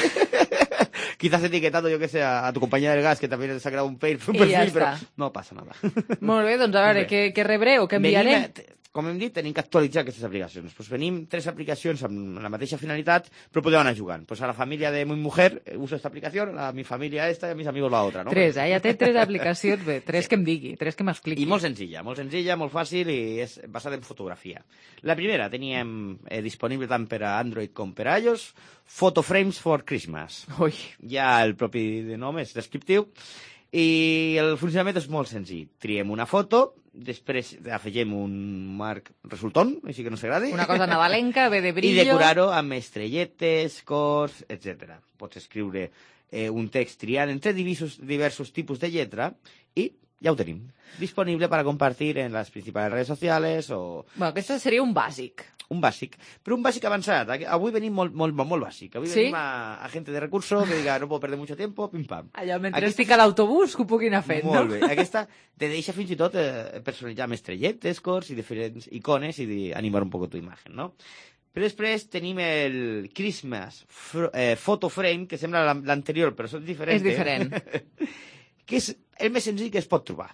Quizás etiquetando, yo que sé, a, a tu compañera del gas, que también se ha creado un, pay, un I perfil, ja però està. no passa nada. Molt bé, doncs a veure, Bé. què, què rebré o què enviaré? Venim, a- com hem dit, tenim que actualitzar aquestes aplicacions. Pues venim tres aplicacions amb la mateixa finalitat, però podeu anar jugant. Pues a la família de mi mujer eh, uso esta aplicación, a mi familia esta y a mis amigos la otra, ¿no? Tres, eh? Ja té tres aplicacions, bé, tres que em digui, tres que m'expliqui. I molt senzilla, molt senzilla, molt fàcil i és basada en fotografia. La primera teníem eh, disponible tant per a Android com per a iOS, Photo Frames for Christmas. Ui. Ja el propi de nom és descriptiu. I el funcionament és molt senzill. Triem una foto, després afegim un marc resultant, així que no s'agradi. Una cosa nadalenca, bé de I brillo... decorar-ho amb estrelletes, cors, etcètera. Pots escriure eh, un text triant entre diversos, diversos tipus de lletra i ja ho tenim. Disponible para compartir en las principales redes sociales o... Bueno, aquest seria un bàsic. Un bàsic. Però un bàsic avançat. Avui venim molt, molt, molt, molt bàsic. Avui Sí? venim a, a gente de recurso que diga no puedo perder mucho tiempo, pim pam. Allò, mentre Aquesta- estic a l'autobús, que ho puguin anar fent, Molt no? bé. Aquesta te deixa fins i tot eh, personalitzar amb estrelletes, cors i diferents icones i de- animar un poco tu imagen, no? Però després tenim el Christmas fr- eh, Photo Frame, que sembla l'an- l'anterior, però és diferent. És diferent. que és el més senzill que es pot trobar.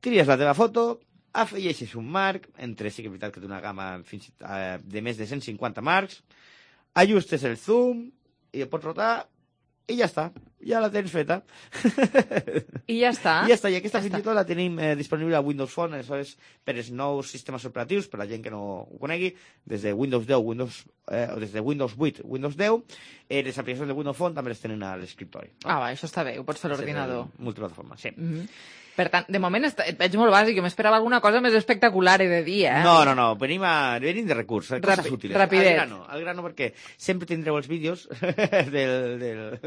Tries la teva foto, afegeixes un marc, entre sí que és veritat que té una gamma fins, eh, de més de cent cinquanta marcs, ajustes el zoom i el pots rotar i ja està, ja la tens feta. I ja està. I ja està, i aquesta fins i tot la tenim eh, disponible a Windows Phone, aleshores per els nous sistemes operatius, per la gent que no ho conegui, des de Windows deu, Windows, eh, o des de Windows vuit, Windows deu, eh, les aplicacions de Windows Phone també les tenen a l'escriptori. Ah, va, això està bé, ho pots fer a l'ordinador. Multiplataforma, sí. Mm -hmm. Per tant, de moment et veig molt bàsic, jo m'esperava alguna cosa més espectacular, he de dir, eh? No, no, no, venim, a, venim de recurs, eh? coses Rapi- útiles. rapidet. Al grano, al grano, perquè sempre tindreu els vídeos del... del...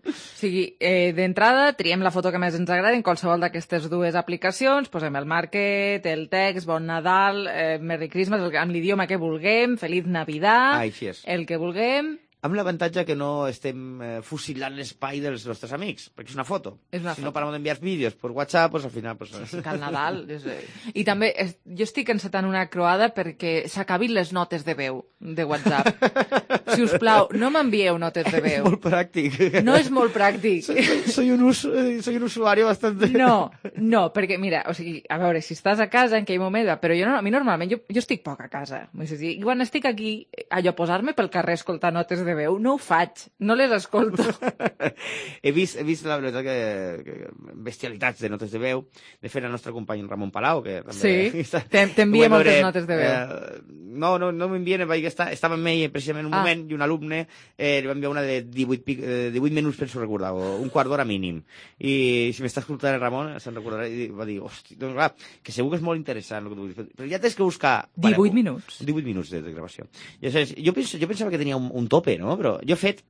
O sigui, eh, d'entrada, triem la foto que més ens agrada en qualsevol d'aquestes dues aplicacions, posem el market, el text, Bon Nadal, eh, Merry Christmas, el- amb l'idioma que vulguem, Feliz Navidad, Ah, així és. el que vulguem... Amb l'avantatge que no estem eh, fusilant l'espai dels nostres amics, perquè és una foto. És una si foto. no parem d'enviar vídeos per WhatsApp, pues, al final... Pues, Sí, que al Nadal... És... I també es, jo estic encetant una croada perquè s'acabin les notes de veu de WhatsApp. Si us plau, no m'envieu notes de veu. És molt pràctic. No és molt pràctic. Soy, soy, un, us, eh, soy un usuari bastante... No, no, perquè mira, o sigui, a veure, si estàs a casa en aquell moment, però jo no, a mi normalment, jo, jo estic poc a casa. És a dir, quan estic aquí, allò, posar-me pel carrer a escoltar notes de veu, no ho faig, no les escolto. he, vist, he vist, la veritat, que, que bestialitats de notes de veu. De fet, el nostre company Ramon Palau, que també... Sí, t'envia moltes notes de veu. Eh, no, no, no m'envien, vaig estar, estava amb ell precisament un Ah. moment any i un alumne eh, li va enviar una de divuit, eh, divuit minuts, penso recordar, o un quart d'hora mínim. I si m'està escoltant el Ramon, se'n recordarà, i va dir, hosti, doncs clar, que segur que és molt interessant el que tu dius, però ja tens que buscar... divuit minuts. divuit minuts de, de gravació. I, o sigui, jo, penso, jo pensava que tenia un, un tope, no? Però jo he fet,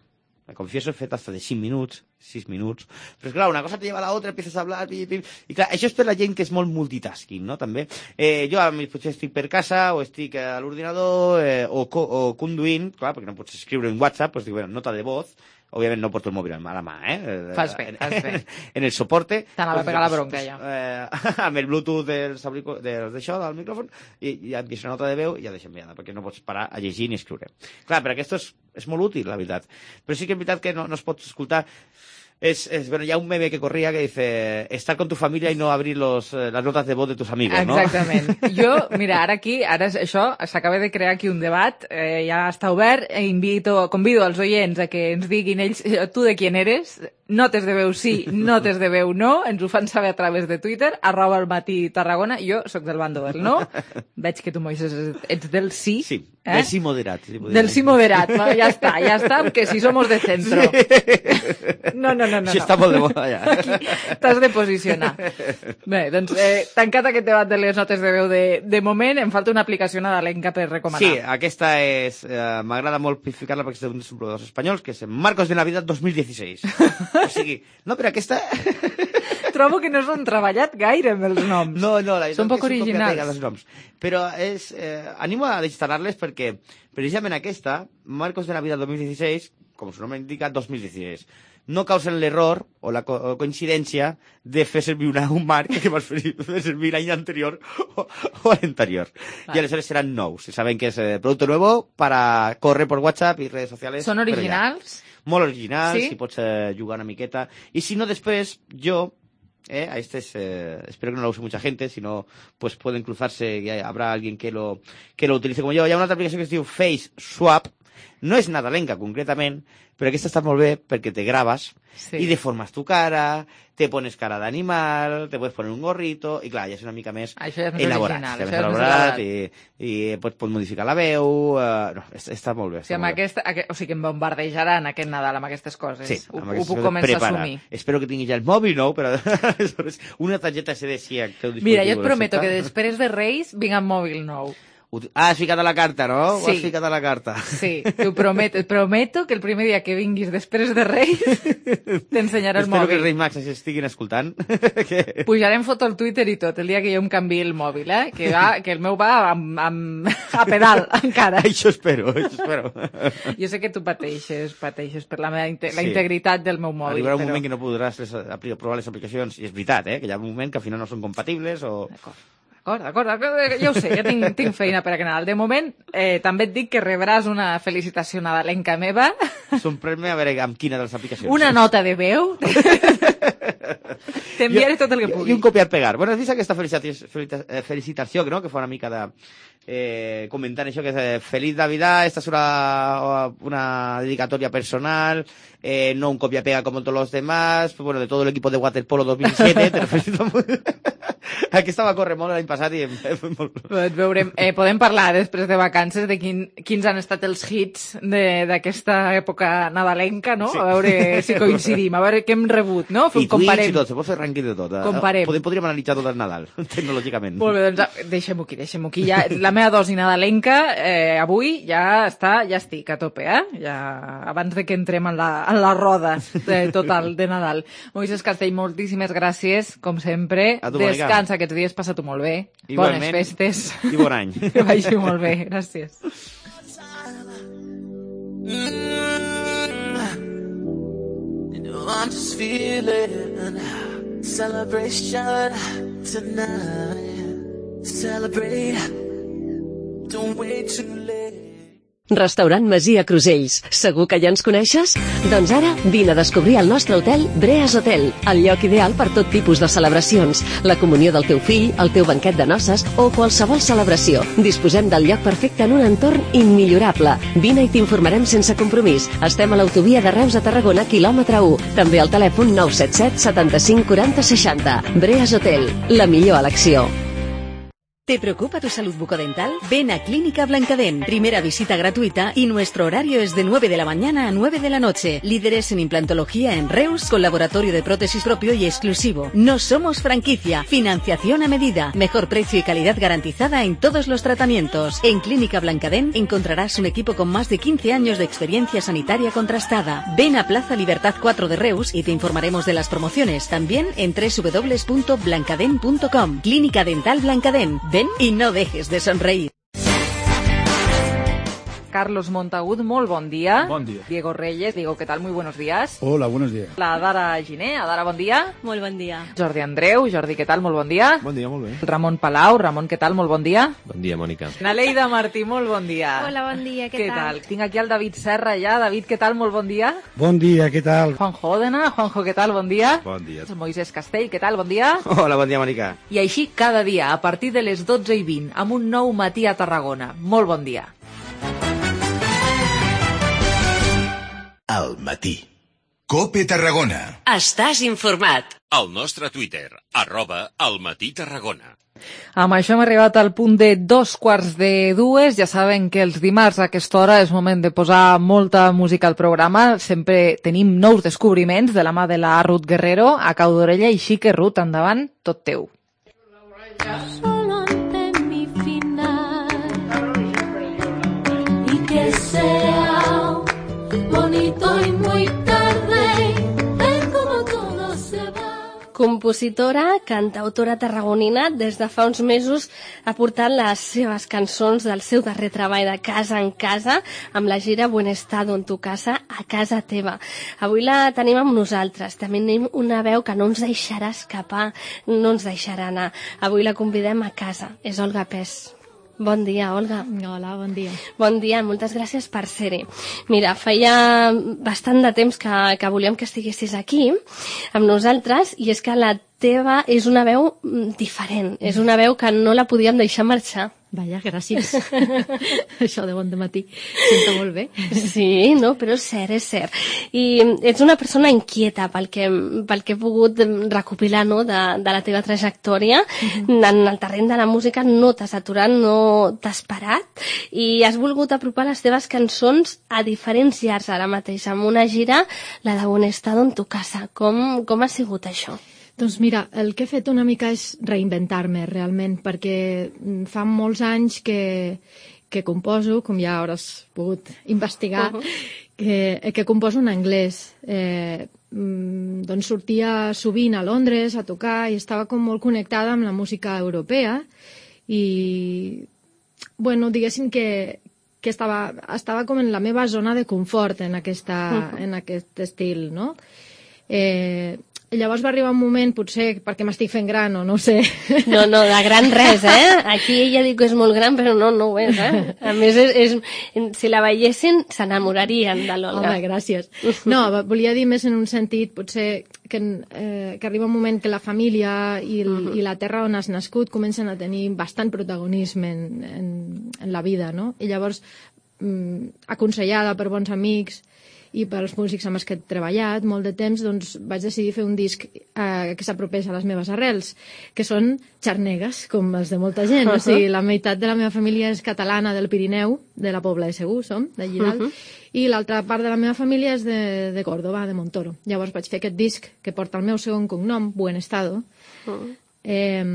me confieso, he fet hasta de cinc minuts, sis minuts, però és clar, una cosa te lleva a la otra, empiezas a hablar, pi, pi, i clar, això és per la gent que és molt multitasking, no?, també. Eh, jo, potser estic per casa, o estic a l'ordinador, eh, o, o conduint, clar, perquè no pots escriure en WhatsApp, doncs dic, bueno, nota de voz, òbviament no porto el mòbil a la mà, eh? Fas bé, fas bé. En el soporte... T'anava a pegar la bronca, ja. Eh, amb el Bluetooth dels d'això, del micròfon, i ja et deixa nota de veu i ja deixa enviada, perquè no pots parar a llegir ni escriure. Clar, per aquest és, és molt útil, la veritat. Però sí que és veritat que no, no es pot escoltar... Es, es, bueno, ya un meme que corría que dice estar con tu familia y no abrir los, eh, las notas de voz de tus amigos, ¿no? Exactament. Jo, mira, ara aquí, ara això, s'acaba de crear aquí un debat, eh, ja està obert, e invito, convido als oients a que ens diguin ells, tu de qui eres, notes de veu sí, notes de veu no, ens ho fan saber a través de Twitter, arroba el matí Tarragona, jo sóc del bando del no, veig que tu, Moisés, ets del sí. Sí, eh? del sí moderat. Sí moderat. Del sí moderat, no? Ja està, ja està, que si somos de centro. Sí. No, no, no, no. Això està molt de moda, ja. Aquí t'has de posicionar. Bé, doncs, eh, tancat aquest debat de les notes de veu de, de moment, em falta una aplicació nadalenca per recomanar. Sí, aquesta és... Eh, m'agrada molt ficar-la perquè és d'un dels proveïdors espanyols, que és Marcos de Navidad dos mil dieciséis. O sigui, no, però aquesta... Trobo que no s'han treballat gaire amb els noms. No, no, la Són poc originals. Els noms. Però és, eh, animo a instal·lar-les perquè precisament aquesta, Marcos de Navidad dos mil dieciséis, com su nombre indica, dos mil dieciséis, no causen l'error o la co coincidència de fer servir una, un marc que vas fer, fer servir l'any anterior o, o l'anterior. Vale. I aleshores seran nous. Saben que és eh, producte nuevo para correr por WhatsApp i redes socials. Són originals? Molt originals, sí? Si pots eh, jugar una miqueta. I si no, després, jo... Eh, a este es, eh, espero que no lo use mucha gente, si no, pues pueden cruzarse y habrá alguien que lo, que lo utilice como yo. Hi ha una altra aplicació que es diu Face Swap, no és nadalenca concretament, però aquesta està molt bé perquè te grabas sí. Y deformas tu cara, te pones cara d'animal, te puedes poner un gorrito, i clar, ja és una mica més això és elaborat. Original, ja això més elaborat, i, i pots, pots modificar la veu, uh, no, està molt bé. Està sí, amb molt aquesta, bé. O sigui, em bombardejaran aquest Nadal amb aquestes coses. Sí, ho, amb ho puc començar prepara. a assumir. Espero que tingui ja el mòbil nou, però una targeta S D sí. Mira, jo et prometo que després de Reis vinc amb mòbil nou. Ah, has ficat a la carta, no? Sí. Ho has ficat a la carta. Sí, t'ho prometo. Et prometo que el primer dia que vinguis després de Reis t'ensenyaré el mòbil. Espero que els Reis Mags estiguin escoltant. que... Pujarem foto al Twitter i tot, el dia que jo em canviï el mòbil, eh? Que, va, que el meu va amb, amb, a pedal, encara. Això espero, això espero. Jo sé que tu pateixes, pateixes per la, meva, la sí. integritat del meu mòbil. Arribarà un però... moment que no podràs les, provar les aplicacions, i és veritat, eh? Que hi ha un moment que al final no són compatibles o... D'acord. D'acord, d'acord, ja ho sé, ja tinc, tinc feina per a Nadal. De moment, eh, també et dic que rebràs una felicitació nadalenca meva. Sorprèn-me a veure amb quina de les aplicacions. Una nota de veu. T'enviaré tot el que pugui. I un copiar-pegar. Bueno, has vist aquesta felicitació, felicitació no? Que fa una mica de... Eh, comentant això que és eh, Feliz Navidad, esta es una, una dedicatoria personal, eh, no un copia-pega como todos los demás, pues, bueno, de todo el equipo de waterpolo dos mil siete, te felicito molt. Aquesta va córrer molt l'any passat i... Veurem, eh, podem parlar després de vacances de quin, quins han estat els hits d'aquesta època nadalenca, no? Sí. A veure si coincidim, a veure què hem rebut, no? I comparem. I tot, se pot fer rànquing de tot. Comparem. Podem, podríem analitzar tot el Nadal, tecnològicament. Molt bé, doncs deixem-ho aquí, deixem-ho aquí. Ja, la meva dosi nadalenca eh, avui ja està, ja estic a tope, eh? Ja, abans de que entrem en la, en la roda de, total de Nadal. Moisés Castell, moltíssimes gràcies, com sempre. Descansa aquests dies, passa-t'ho molt bé. Igualment. Bones festes. I bon any. Que vagi molt bé, gràcies. I'm just feeling celebration tonight. Celebrate. Don't wait too late. Restaurant Masia Crusells. Segur que ja ens coneixes? Doncs ara vine a descobrir el nostre hotel Breas Hotel, el lloc ideal per tot tipus de celebracions, la comunió del teu fill, el teu banquet de noces o qualsevol celebració. Disposem del lloc perfecte en un entorn immillorable. Vine i t'informarem sense compromís. Estem a l'autovia de Reus a Tarragona, quilòmetre u. També al telèfon nou set set setanta-cinc quaranta seixanta. Breas Hotel, la millor elecció. ¿Te preocupa tu salud bucodental? Ven a Clínica Blancadén. Primera visita gratuita y nuestro horario es de nueve de la mañana a nueve de la noche. Líderes en implantología en Reus, con laboratorio de prótesis propio y exclusivo. No somos franquicia. Financiación a medida. Mejor precio y calidad garantizada en todos los tratamientos. En Clínica Blancadén encontrarás un equipo con más de quince años de experiencia sanitaria contrastada. Ven a Plaza Libertad cuatro de Reus y te informaremos de las promociones. También en doble u doble u doble u punto blancadén punto com. Clínica Dental Blancadén. Ven y no dejes de sonreír. Carlos Montagut, molt bon dia. Bon dia. Diego Reyes, Diego, ¿qué tal? Muy buenos días. Hola, buenos días. La Dara Giné, Adara, bon dia. Molt bon dia. Jordi Andreu, Jordi, què tal? Molt bon dia. Bon dia, molt bé. Ramon Palau, Ramon, què tal? Molt bon dia. Bon dia, Mònica. Naleida Martí, molt bon dia. Hola, bon dia, què, què tal? Tinc aquí el David Serra ja. David, què tal? Molt bon dia. Bon dia, què tal? Juanjo Òdena, Juanjo, què tal? Bon dia. Bon dia. Moisés Castell, què tal? Bon dia. Hola, bon dia, Mònica. I així cada dia, a partir de les dotze i vint, amb un nou matí a Tarragona. Molt bon dia. Al matí. COPE Tarragona. Estàs informat. Al nostre Twitter, arroba al matí Tarragona. Amb això hem arribat al punt de dos quarts de dues. Ja saben que els dimarts a aquesta hora és moment de posar molta música al programa. Sempre tenim nous descobriments de la mà de la Ruth Guerrero. A cau d'orella, així que Ruth, endavant, tot teu. Solo ante mi final y que sea bonito y muy tarde, ver como todo se va. Compositora, cantautora tarragonina, des de fa uns mesos ha portat les seves cançons del seu darrer treball de Casa en Casa amb la gira Buen Estado en tu casa a casa teva. Avui la tenim amb nosaltres. També tenim una veu que no ens deixarà escapar, no ens deixarà anar. Avui la convidem a casa. És Olga Pes. Bon dia, Olga. Hola, bon dia. Bon dia, moltes gràcies per ser-hi. Mira, feia bastant de temps que, que volíem que estiguessis aquí amb nosaltres i és que la teva és una veu diferent, és una veu que no la podíem deixar marxar. Vaja, gràcies. Això de bon dematí. Sento molt bé. Sí, no, però és cert, és cert. I ets una persona inquieta pel que, pel que he pogut recopilar, no, de, de la teva trajectòria. Uh-huh. En el terreny de la música no t'has aturat, no t'has parat i has volgut apropar les teves cançons a diferents llars ara mateix, amb una gira, la de Buen Estado en tu casa. Com, com ha sigut això? Doncs mira, el que he fet una mica és reinventar-me realment, perquè fa molts anys que, que composo, com ja hauràs pogut investigar, uh-huh. que, que composo en anglès. Eh, doncs sortia sovint a Londres a tocar i estava com molt connectada amb la música europea i, bueno, diguéssim que, que estava, estava com en la meva zona de confort en, aquesta, uh-huh. en aquest estil, no? Eh, Llavors va arribar un moment, potser perquè m'estic fent gran o no ho sé. No, no, de gran res, eh? Aquí ella diu que és molt gran, però no, no ho és, eh? A més, és, és, si la veiessin, s'enamorarien de l'Olga. Home, gràcies. No, volia dir més en un sentit, potser, que, eh, que arriba un moment que la família i, el, uh-huh. i la terra on has nascut comencen a tenir bastant protagonisme en, en, en la vida, no? I llavors, mm, aconsellada per bons amics i pels músics amb els que he treballat molt de temps, doncs vaig decidir fer un disc eh, que s'apropés a les meves arrels, que són xarnegues, com els de molta gent. Uh-huh. O sigui, la meitat de la meva família és catalana del Pirineu, de la Pobla de Segur, som, d'allí dalt, uh-huh. i l'altra part de la meva família és de, de Córdoba, de Montoro. Llavors vaig fer aquest disc que porta el meu segon cognom, Buen Estado, uh-huh. eh,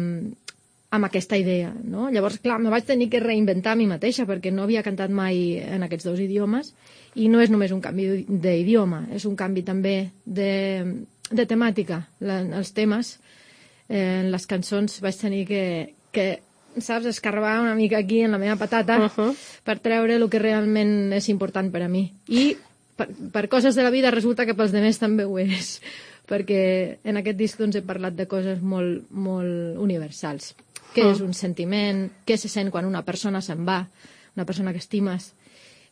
amb aquesta idea, no? Llavors, clar, me vaig tenir que reinventar a mi mateixa perquè no havia cantat mai en aquests dos idiomes i no és només un canvi d'idioma, és un canvi també de, de temàtica. La, els temes, eh, en les cançons vaig tenir que, que, saps, escarbar una mica aquí en la meva patata uh-huh. per treure el que realment és important per a mi. I per, per coses de la vida resulta que pels demés també ho és, perquè en aquest disc doncs, he parlat de coses molt, molt universals. Què és un sentiment, què se sent quan una persona se'n va, una persona que estimes,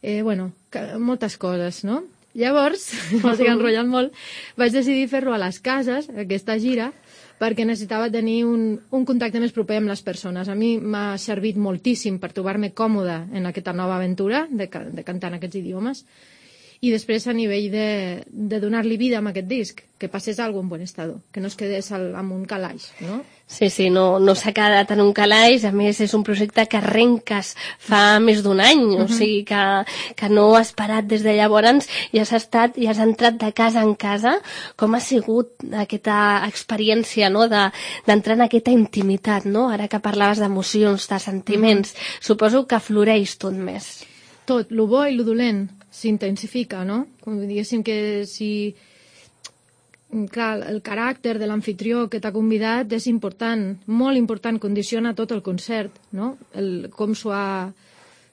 eh, bueno, que, moltes coses, no? Llavors, m'estic enrotllant molt, vaig decidir fer-lo a les cases, aquesta gira, perquè necessitava tenir un, un contacte més proper amb les persones. A mi m'ha servit moltíssim per trobar-me còmoda en aquesta nova aventura de, de cantar en aquests idiomes I després a nivell de, de donar-li vida amb aquest disc, que passés alguna cosa en bon estado, que no es quedés al, amb un calaix, no? Sí, sí, no, no s'ha quedat en un calaix, a més és un projecte que arrenques fa més d'un any, uh-huh. o sigui que, que no has parat des de llavors i has estat i has entrat de casa en casa. Com ha sigut aquesta experiència, no?, de, d'entrar en aquesta intimitat, no? Ara que parlaves d'emocions, de sentiments, uh-huh. suposo que floreix tot més. Tot, lo bo i lo dolent s'intensifica, no? Com diguéssim que si... Clar, el caràcter de l'anfitrió que t'ha convidat és important, molt important, condiciona tot el concert, no? El, com s'ho ha...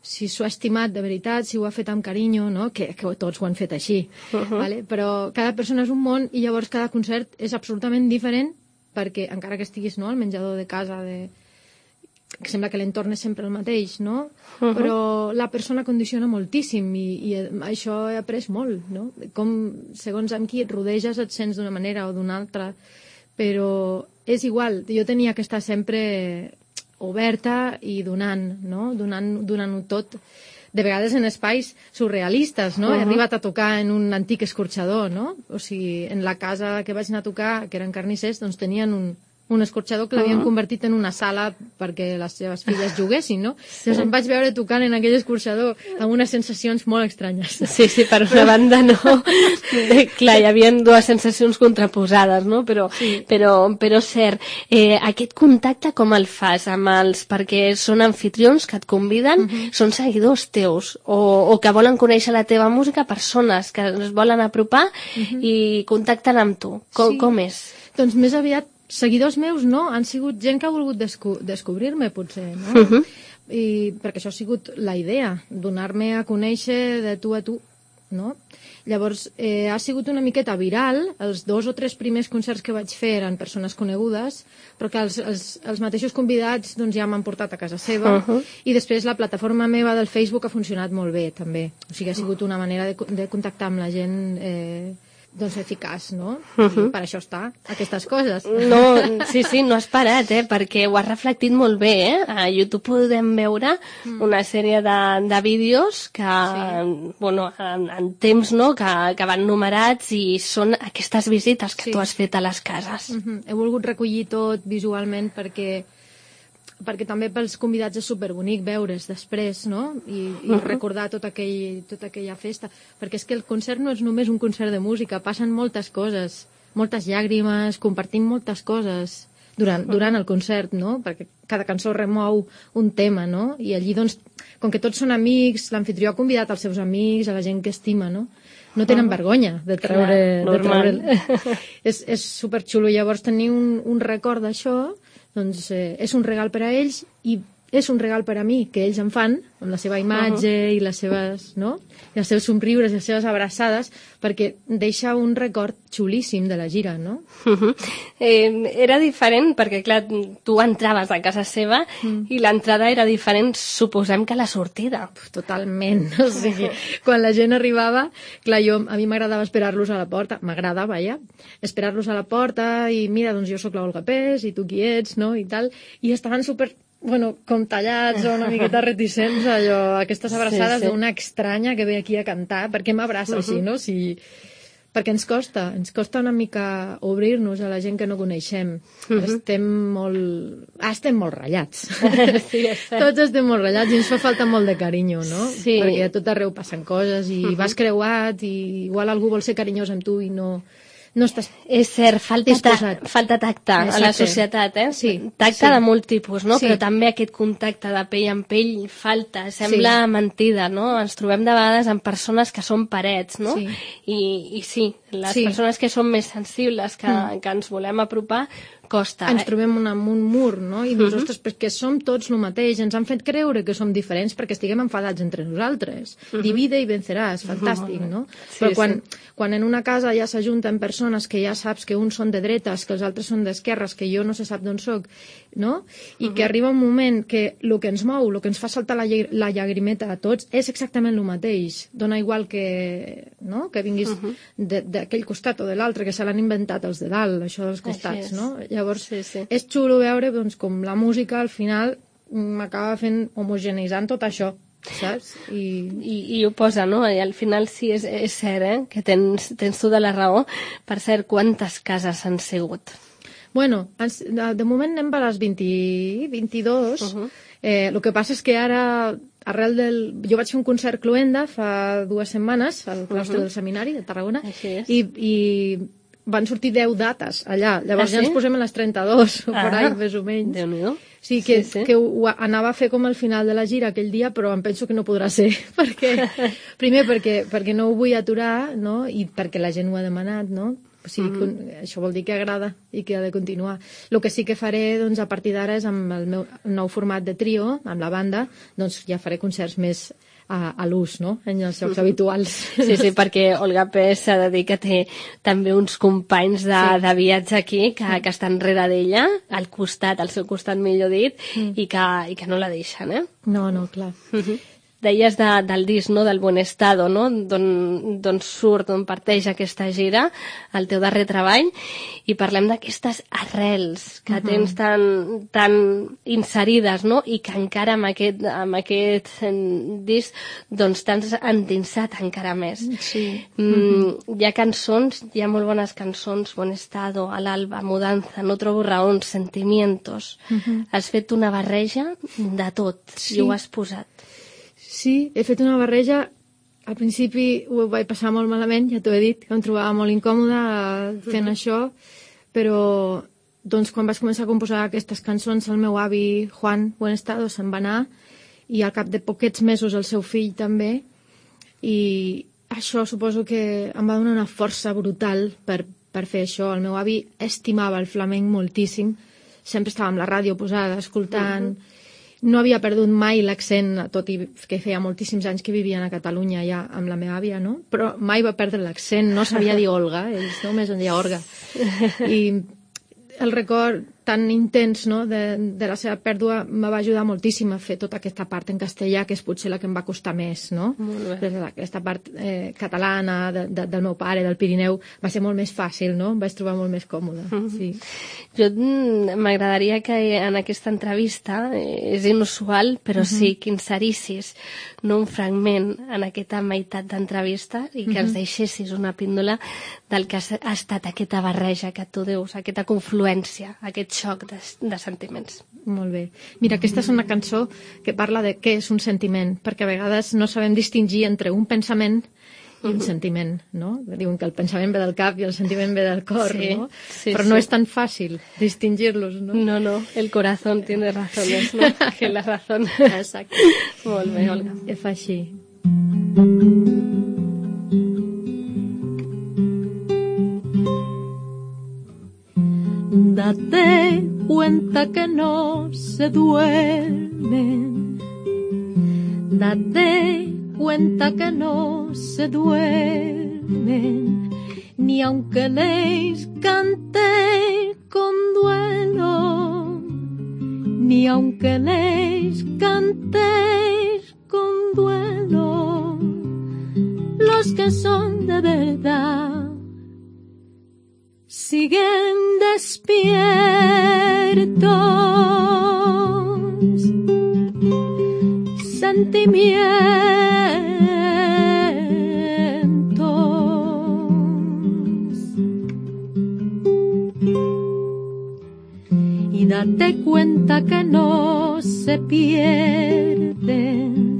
si s'ho ha estimat de veritat, si ho ha fet amb carinyo, no? Que, que tots ho han fet així, uh-huh. vale? Però cada persona és un món i llavors cada concert és absolutament diferent perquè, encara que estiguis, no?, al menjador de casa, de... que sembla que l'entorn és sempre el mateix, no? Uh-huh. Però la persona condiciona moltíssim i, i això he après molt, no? Com, segons amb qui et rodeges, et sents d'una manera o d'una altra, però és igual, jo tenia que estar sempre oberta i donant, no? Donant, donant-ho tot, de vegades en espais surrealistes, no? Uh-huh. He arribat a tocar en un antic escorxador, no? O sigui, en la casa que vaig anar a tocar, que eren carnissers, doncs tenien un un escorxador que l'havien uh-huh. convertit en una sala perquè les seves filles juguessin, no? Sí. Llavors em vaig veure tocant en aquell escorxador amb unes sensacions molt estranyes. Sí, sí, per una banda no. Clar, hi havia dues sensacions contraposades, no? Però, sí. però, però cert, eh, aquest contacte com el fas amb els... perquè són anfitrions que et conviden, uh-huh. són seguidors teus, o, o que volen conèixer la teva música, persones que es volen apropar uh-huh. i contacten amb tu. Com, sí. com és? Doncs més aviat seguidors meus no, han sigut gent que ha volgut desco descobrir-me, potser, no? Uh-huh. I, perquè això ha sigut la idea, donar-me a conèixer de tu a tu, no? Llavors, eh, ha sigut una miqueta viral, els dos o tres primers concerts que vaig fer eren persones conegudes, però que els, els, els mateixos convidats doncs, ja m'han portat a casa seva, uh-huh. i després la plataforma meva del Facebook ha funcionat molt bé, també. O sigui, ha sigut una manera de, de contactar amb la gent... Eh, doncs eficaç, no? Uh-huh. Per això està, aquestes coses. No, sí, sí, no has parat, eh? Perquè ho has reflectit molt bé, eh? A YouTube podem veure mm. una sèrie de, de vídeos que, sí. bueno, en, en temps, no?, que, que van numerats i són aquestes visites que sí. tu has fet a les cases. Uh-huh. He volgut recollir tot visualment perquè perquè també pels convidats és superbonic veure's després, no? I, i uh-huh. recordar tot aquell, tota aquella festa. Perquè és que el concert no és només un concert de música, passen moltes coses, moltes llàgrimes, compartim moltes coses durant, durant el concert, no? Perquè cada cançó remou un tema, no? I allí, doncs, com que tots són amics, l'anfitrió ha convidat els seus amics, a la gent que estima, no? No tenen vergonya de treure... Clar, de treure... és, és superxulo. Llavors, tenir un, un record d'això doncs eh, és un regal per a ells i és un regal per a mi, que ells em fan, amb la seva imatge uh-huh. i les seves, no? I els seus somriures i les seves abraçades, perquè deixa un record xulíssim de la gira, no? Uh-huh. eh, era diferent, perquè clar, tu entraves a casa seva mm. i l'entrada era diferent, suposem que la sortida. Totalment, o sigui, quan la gent arribava, clar, jo, a mi m'agradava esperar-los a la porta, m'agrada, vaja, esperar-los a la porta i mira, doncs jo sóc la Olga Pes i tu qui ets, no?, i tal, i estaven super... bueno, com tallats o una miqueta reticents, allò, aquestes abraçades sí, sí. d'una estranya que ve aquí a cantar, perquè m'abraça uh-huh. així, no? Si... perquè ens costa, ens costa una mica obrir-nos a la gent que no coneixem. Uh-huh. Estem molt... Ah, estem molt ratllats. Sí, tots estem molt ratllats i ens fa falta molt de carinyo, no? Sí. Perquè a tot arreu passen coses i uh-huh. vas creuat i igual algú vol ser carinyós amb tu i no... no estàs... És cert, falta, ta falta tacte Exacte. a la societat, eh? Sí, tacte sí. de molt tipus, no? Sí. Però també aquest contacte de pell amb pell falta, sembla sí. mentida, no? Ens trobem de vegades amb persones que són parets, no? Sí. I, i sí, les sí. persones que són més sensibles, que, mm. que ens volem apropar, costa. Ens eh? trobem un, amb un mur, no? I dius, uh-huh. ostres, perquè som tots el mateix, ens han fet creure que som diferents perquè estiguem enfadats entre nosaltres. Uh-huh. Divide i venceràs, fantàstic, no? Sí, Però quan, sí. quan en una casa ja s'ajunten persones que ja saps que uns són de dretes, que els altres són d'esquerres, que jo no se sap d'on soc, no? I uh-huh. que arriba un moment que el que ens mou, el que ens fa saltar la, la llagrimeta a tots, és exactament el mateix. Dona igual que, no? que vinguis uh-huh. d'aquell costat o de l'altre, que se l'han inventat els de dalt, això dels costats, no? Llavors, sí, sí. és xulo veure doncs, com la música al final m'acaba fent homogeneitzant tot això. saps? I, I, i ho posa, no? I al final sí, és, és cert, eh? Que tens, tens tu de la raó. Per cert, quantes cases han sigut? Bueno, de, de moment anem per les vint, vint-i-dos. Uh-huh. Eh, el que passa és que ara, arrel del... Jo vaig fer un concert Cluenda fa dues setmanes al claustre uh-huh. del seminari de Tarragona i, i van sortir deu dates allà. Llavors ah, sí? ja ens posem a les trenta-dos, o ah, per ahí, més o menys. Déu-n'hi-do. Sí, que, sí, sí. que ho anava a fer com al final de la gira aquell dia, però em penso que no podrà ser. perquè Primer, perquè, perquè no ho vull aturar, no? I perquè la gent ho ha demanat, no? O sigui, mm-hmm. això vol dir que agrada i que ha de continuar. El que sí que faré doncs, a partir d'ara és amb el meu nou format de trio, amb la banda, doncs ja faré concerts més a, a l'ús, no?, en els jocs habituals. Sí, sí, perquè Olga Pes s'ha de dir que té també uns companys de, sí. de viatge aquí que, que estan rere d'ella, al costat, al seu costat, millor dit, mm. i, que, i que no la deixen, eh? No, no, clar. Mm-hmm. Deies de, del disc, no?, del Buen Estado, no?, d'on surt, d'on parteix aquesta gira, el teu darrer treball, i parlem d'aquestes arrels que uh-huh. tens tan, tan inserides, no?, i que encara amb aquest, amb aquest disc doncs t'has endinsat encara més. Sí. Mm, uh-huh. Hi ha cançons, hi ha molt bones cançons, Buen Estado, Al alba, Mudanza, No trobo raons, Sentimientos. Uh-huh. Has fet una barreja de tot, sí. i ho has posat. Sí, he fet una barreja. Al principi ho vaig passar molt malament, ja t'ho he dit, que em trobava molt incòmoda fent uh-huh. això, però doncs, quan vaig començar a composar aquestes cançons, el meu avi, Juan Buen Estado, se'n va anar, i al cap de poquets mesos el seu fill també, i això suposo que em va donar una força brutal per, per fer això. El meu avi estimava el flamenc moltíssim, sempre estava amb la ràdio posada, escoltant... Uh-huh. No havia perdut mai l'accent, tot i que feia moltíssims anys que vivien a Catalunya ja amb la meva àvia, no? Però mai va perdre l'accent, no sabia dir Olga, ells només en deia Orga. I el record tan intens, no?, de, de la seva pèrdua me va ajudar moltíssim a fer tota aquesta part en castellà, que és potser la que em va costar més, no? Aquesta part eh, catalana de, de, del meu pare, del Pirineu, va ser molt més fàcil, no? Em vaig trobar molt més còmoda, sí. Jo m'agradaria que en aquesta entrevista, eh, és inusual, però uh-huh. sí que inserissis, no, un fragment en aquesta meitat d'entrevista i que uh-huh. ens deixessis una píndola del que ha estat aquesta barreja que tu dius, aquesta confluència, aquest xoc de, de sentiments. Molt bé. Mira, aquesta és una cançó que parla de què és un sentiment, perquè a vegades no sabem distingir entre un pensament i un uh-huh. sentiment, no? Diuen que el pensament ve del cap i el sentiment ve del cor, sí, no? Sí, però sí. no és tan fàcil distingir-los, no? No, no, el corazón tiene razones, no? Que la razón. Exacte. Molt bé, Olga. I fa així. Date cuenta que no se duermen. Date cuenta que no se duermen, ni aunque les cante con duelo, ni aunque les cante con duelo, los que son de verdad siguen despiertos, sentimientos. Y date cuenta que no se pierden,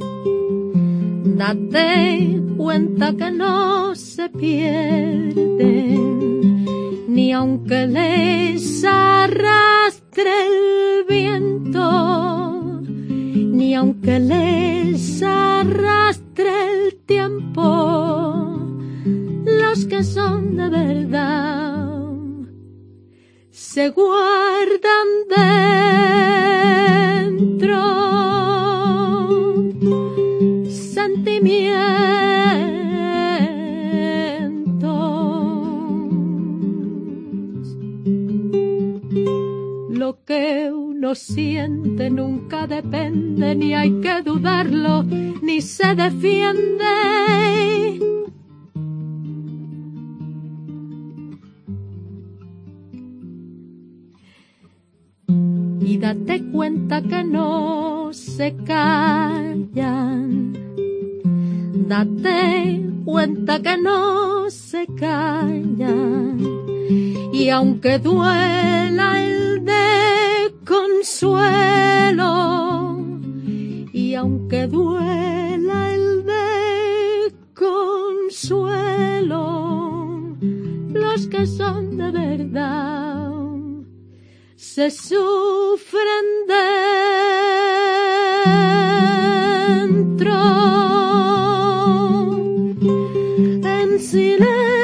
date cuenta que no se pierden, ni aunque les arrastre el viento, ni aunque les arrastre el tiempo, los que son de verdad se guardan dentro sentimientos. Lo que uno siente nunca depende, ni hay que dudarlo, ni se defiende. Y date cuenta que no no se callan. Date cuenta que no se callan. Y aunque duela el de consuelo, y aunque duela el de consuelo, los que son de verdad se sufren dentro en silencio.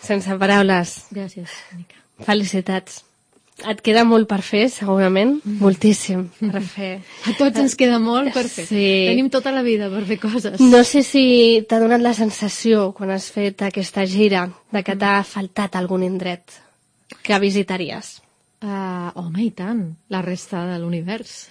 Sense paraules. Gràcies, Mica. Felicitats. Et queda molt per fer, segurament. Moltíssim per fer. A tots ens queda molt per fer. Sí. Tenim tota la vida per fer coses. No sé si t'ha donat la sensació, quan has fet aquesta gira, de que t'ha faltat algun indret que visitaries. Uh, home, i tant, la resta de l'univers.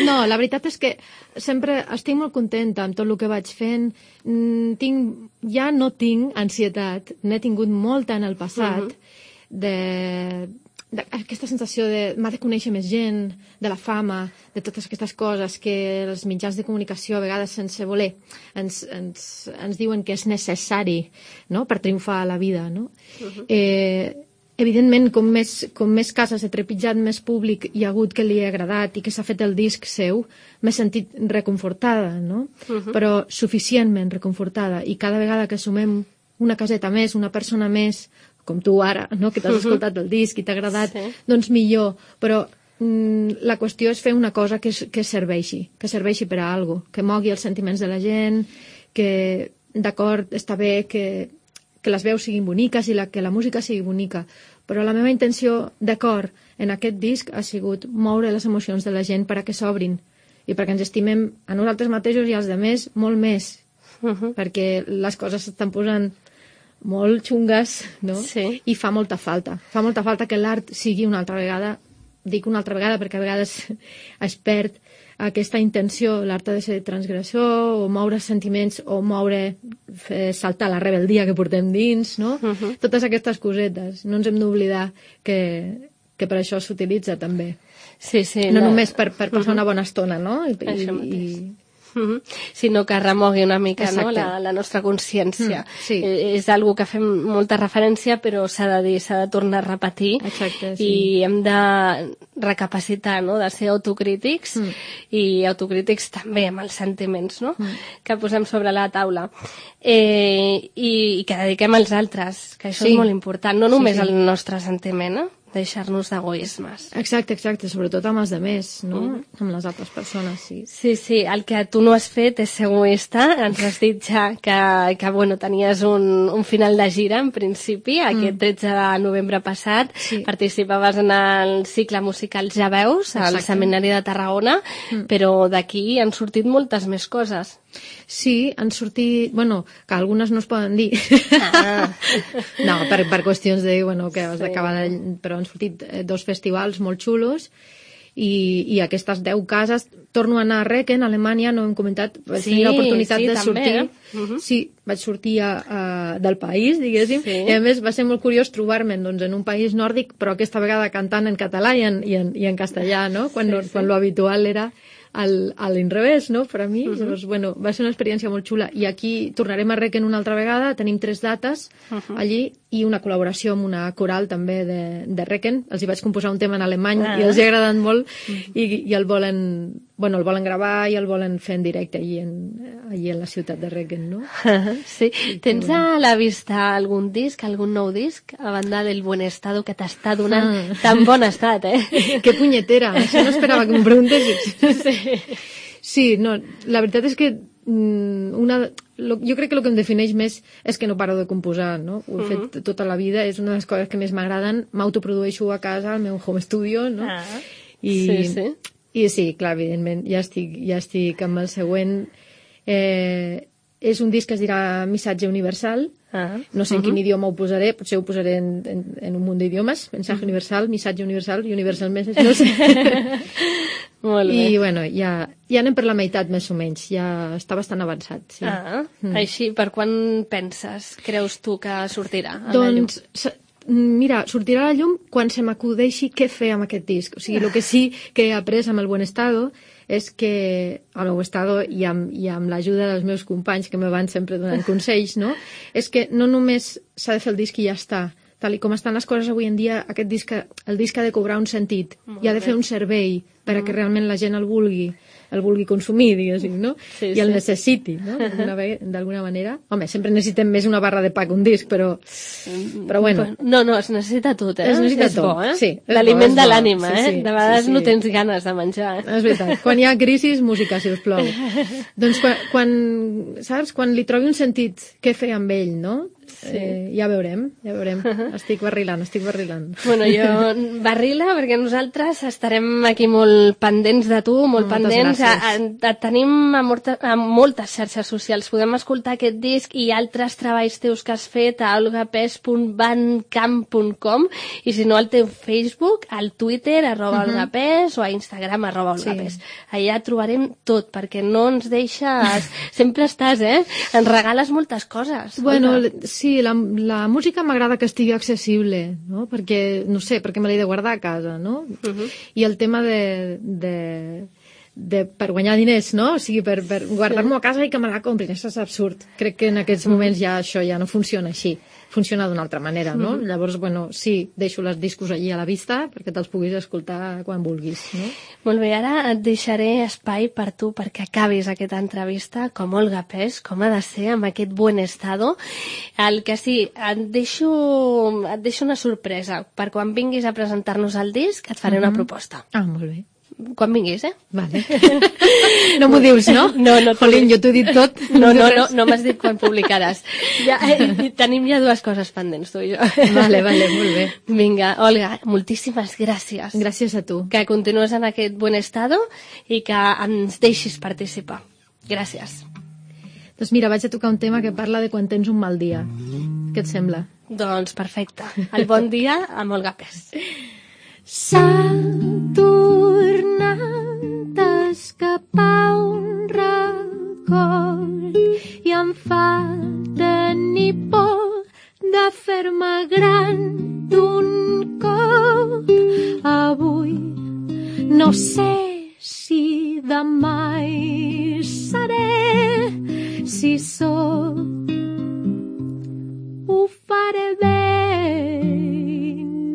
No, la veritat és que sempre estic molt contenta amb tot el que vaig fent. Mm, tinc, ja no tinc ansietat, n'he tingut molta en el passat, uh-huh. de, de aquesta sensació de m'ha de conèixer més gent, de la fama, de totes aquestes coses que els mitjans de comunicació a vegades sense voler ens, ens, ens diuen que és necessari, no?, per triomfar a la vida, no? Uh-huh. Eh, Evidentment, com més, com més cases he trepitjat, més públic hi ha hagut que li ha agradat i que s'ha fet el disc seu, m'he sentit reconfortada, no? Uh-huh. Però suficientment reconfortada. I cada vegada que sumem una caseta més, una persona més, com tu ara, no?, que t'has uh-huh. escoltat el disc i t'ha agradat, sí. doncs millor. Però mm, la qüestió és fer una cosa que, que serveixi, que serveixi per a alguna cosa, que mogui els sentiments de la gent, que, d'acord, està bé que que les veus siguin boniques i la, que la música sigui bonica, però la meva intenció de cor en aquest disc ha sigut moure les emocions de la gent per a que s'obrin i perquè ens estimem a nosaltres mateixos i als altres molt més, uh-huh. perquè les coses s'estan posant molt xungues, no? Sí. I fa molta falta. Fa molta falta que l'art sigui una altra vegada, dic una altra vegada perquè a vegades es perd aquesta intenció, l'art ha de ser transgressor, o moure sentiments, o moure, fer saltar la rebeldia que portem dins, no? Uh-huh. Totes aquestes cosetes. No ens hem d'oblidar que, que per això s'utilitza també. Sí, sí. No la... només per, per passar uh-huh. una bona estona, no? I, això mateix. I... Uh-huh. Sinó que remogui una mica, no?, la, la nostra consciència. Mm, sí. eh, és algo que fem molta referència, però s'ha de dir, s'ha de tornar a repetir. Exacte, sí. I hem de recapacitar, no?, de ser autocrítics mm. i autocrítics també amb els sentiments, no?, mm. que posem sobre la taula. Eh, i, I que dediquem als altres, que això sí. és molt important, no només sí, sí. el nostre sentiment, eh? Deixar-nos d'egoismes. Exacte, exacte, sobretot amb els demés, no? Mm. Amb les altres persones, sí. Sí, sí, el que tu no has fet és ser egoista. Ens has dit ja que, que bueno, tenies un, un final de gira, en principi, aquest mm. tretze de novembre passat. Sí. Participaves en el cicle musical Ja veus, al Seminari de Tarragona, mm. però d'aquí han sortit moltes més coses. Sí, han sortit... Bueno, que algunes no es poden dir. Ah. No, per, per qüestions de... Bueno, que has sí. d'acabar de... Però han sortit dos festivals molt xulos i, i aquestes deu cases... Torno a anar a Recken, a Alemanya, no hem comentat, vaig sí, tenir l'oportunitat sí, de també, sortir... Eh? Uh-huh. Sí, vaig sortir a, a, del país, diguéssim, sí. i a més va ser molt curiós trobar-me doncs, en un país nòrdic, però aquesta vegada cantant en català i en, i en, i en castellà, no? Quan, sí, sí. quan lo habitual era... al, a l'inrevés, no?, per a mi. Uh-huh. Llavors, bueno, va ser una experiència molt xula. I aquí tornarem a Recken una altra vegada, tenim tres dates uh-huh. allí, i una col·laboració amb una coral també de, de Recken. Els hi vaig composar un tema en alemany uh-huh. i els hi ha agradat molt uh-huh. i, i el volen... Bueno, el volen gravar i el volen fer en directe allí en, allí en la ciutat de Recken, no? Sí. Tens a la vista algun disc, algun nou disc, a banda del buen estado que t'està donant ah. tan bon estat, eh? Que punyetera! Això no esperava que m'ho preguntessis. Sí. Sí, no, la veritat és que una, lo, jo crec que el que em defineix més és que no paro de composar, no? Ho he uh-huh. fet tota la vida, és una de les coses que més m'agraden, m'autoprodueixo a casa, al meu home studio, no? Ah. I, sí, sí. I sí, clar, evidentment, ja estic, ja estic amb el següent. Eh, és un disc que es dirà Missatge Universal. Ah. No sé en uh-huh. quin idioma ho posaré, potser ho posaré en, en, en un munt d'idiomes. Mensatge uh-huh. Universal, Missatge Universal, Universal Message, no sé. Molt bé. I, bueno, ja, ja anem per la meitat, més o menys. Ja està bastant avançat, sí. Ah, Mm. així, per quan penses, creus tu que sortirà a la llum? Doncs, sa- mira, sortirà a la llum quan se m'acudeixi què fer amb aquest disc. O sigui, el que sí que he après amb el Buen Estado és que, al meu estado i amb, i amb l'ajuda dels meus companys que me van sempre donant consells, no? És que no només s'ha de fer el disc i ja està. Tal i com estan les coses avui en dia, aquest disc, el disc ha de cobrar un sentit Molt i ha de bé. fer un servei perquè Mm. realment la gent el vulgui, el vulgui consumir, diguéssim, no? Sí, I el sí. necessiti, no? D'alguna ve- d'alguna manera. Home, sempre necessitem més una barra de pa que un disc, però, però bueno. No, no, es necessita tot, eh? Es necessita és tot, bo, eh? sí, és bo, L'aliment és de bo. l'ànima, Sí, eh? sí, De vegades sí, sí. no tens ganes de menjar. És veritat. Quan hi ha crisis, música, si us plau. Doncs quan, quan, saps, quan li trobi un sentit què fer amb ell, no? Sí. Eh, ja veurem, ja veurem. Estic barrilant, estic barrilant. Bueno, jo barrila, perquè nosaltres estarem aquí molt pendents de tu, molt Moltes pendents. A, gràcies. a, et tenim a, morta, a moltes xarxes socials. Podem escoltar aquest disc i altres treballs teus que has fet a olgapes punt bandcamp punt com i si no al teu Facebook, al Twitter, arroba Mhm. olgapes o a Instagram, arroba Sí. olgapes. Allà trobarem tot, perquè no ens deixes... Sempre estàs, eh? Ens regales moltes coses. Bueno, Olga. sí, la, la música m'agrada que estigui accessible, no? Perquè, no sé, perquè me l'he de guardar a casa, no? Mhm. I el tema de, de, de, per guanyar diners, no? O sigui, per, per guardar-m'ho a casa i que me la comprin, això és absurd. Crec que en aquests moments ja això ja no funciona així. Funciona d'una altra manera, no? Mhm. Llavors, bueno, sí, deixo les discos allí a la vista perquè te'ls puguis escoltar quan vulguis, no? Molt bé, ara et deixaré espai per tu perquè acabis aquesta entrevista com Olga Pes, com ha de ser, amb aquest buen estado. El que sí, et deixo, et deixo una sorpresa. Per quan vinguis a presentar-nos el disc, et faré una Mhm. proposta. Ah, molt bé. Quan vinguis, eh? Vale. No m'ho dius, no? No, no. t'ho Jolín, dic. jo t'ho he dit tot. No, no, dius no, res. no m'has dit quan publicaràs. Ja, eh, tenim ja dues coses pendents, tu i jo. Vale, vale, molt bé. Vinga, Olga, moltíssimes gràcies. Gràcies a tu. Que continues en aquest buen estado i que ens deixis participar. Gràcies. Doncs mira, vaig a tocar un tema que parla de quan tens un mal dia. Què et sembla? Doncs perfecte. El bon dia amb Olga Pes. S'ha tornat a escapar un record i em fa tenir por de fer-me gran d'un cop. Avui no sé si demà hi seré, si sóc ho faré bé,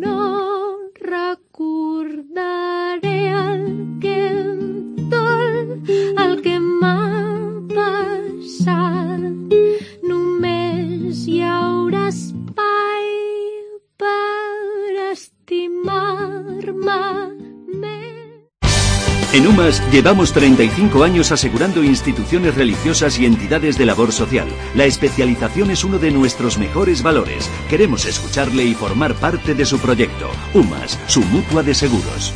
no recordaré el que em dol, el que m'ha passat. Només hi haurà espai per estimar-me més. En UMAS llevamos treinta y cinco años asegurando instituciones religiosas y entidades de labor social. La especialización es uno de nuestros mejores valores. Queremos escucharle y formar parte de su proyecto. UMAS, su mutua de seguros.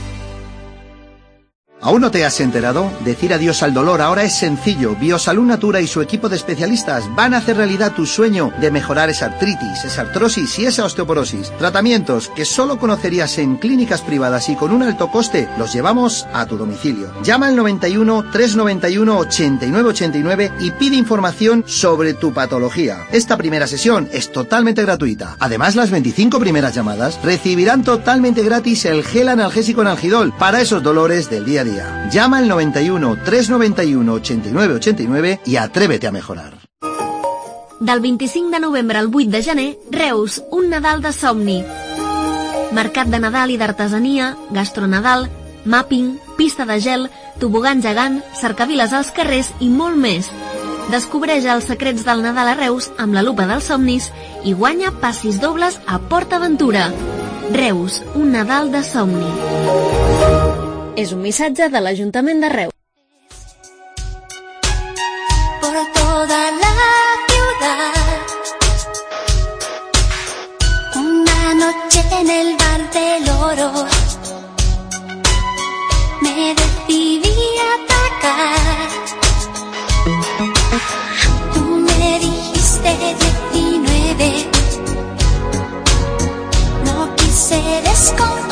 ¿Aún no te has enterado? Decir adiós al dolor ahora es sencillo. Biosalud Natura y su equipo de especialistas van a hacer realidad tu sueño de mejorar esa artritis, esa artrosis y esa osteoporosis. Tratamientos que solo conocerías en clínicas privadas y con un alto coste los llevamos a tu domicilio. Llama al noventa y uno, trescientos noventa y uno, ochenta y nueve ochenta y nueve y pide información sobre tu patología. Esta primera sesión es totalmente gratuita. Además, las veinticinco primeras llamadas recibirán totalmente gratis el gel analgésico Analgidol para esos dolores del día a día. Llama al noventa y uno, trescientos noventa y uno, ochenta y nueve ochenta y nueve y atrévete a mejorar. Del vint-i-cinc de novembre al vuit de gener, Reus, un Nadal de somni. Mercat de Nadal i d'artesania, gastronadal, mapping, pista de gel, tobogan gegant, cercaviles als carrers i molt més. Descobreix els secrets del Nadal a Reus amb la lupa dels somnis i guanya passis dobles a Port Aventura. Reus, un Nadal de somni. És un missatge de l'Ajuntament de Reus. Por toda la ciudad, una noche en el bar del oro, me decidí a atacar. Tú me dijiste diecinueve, no quise desconfiar.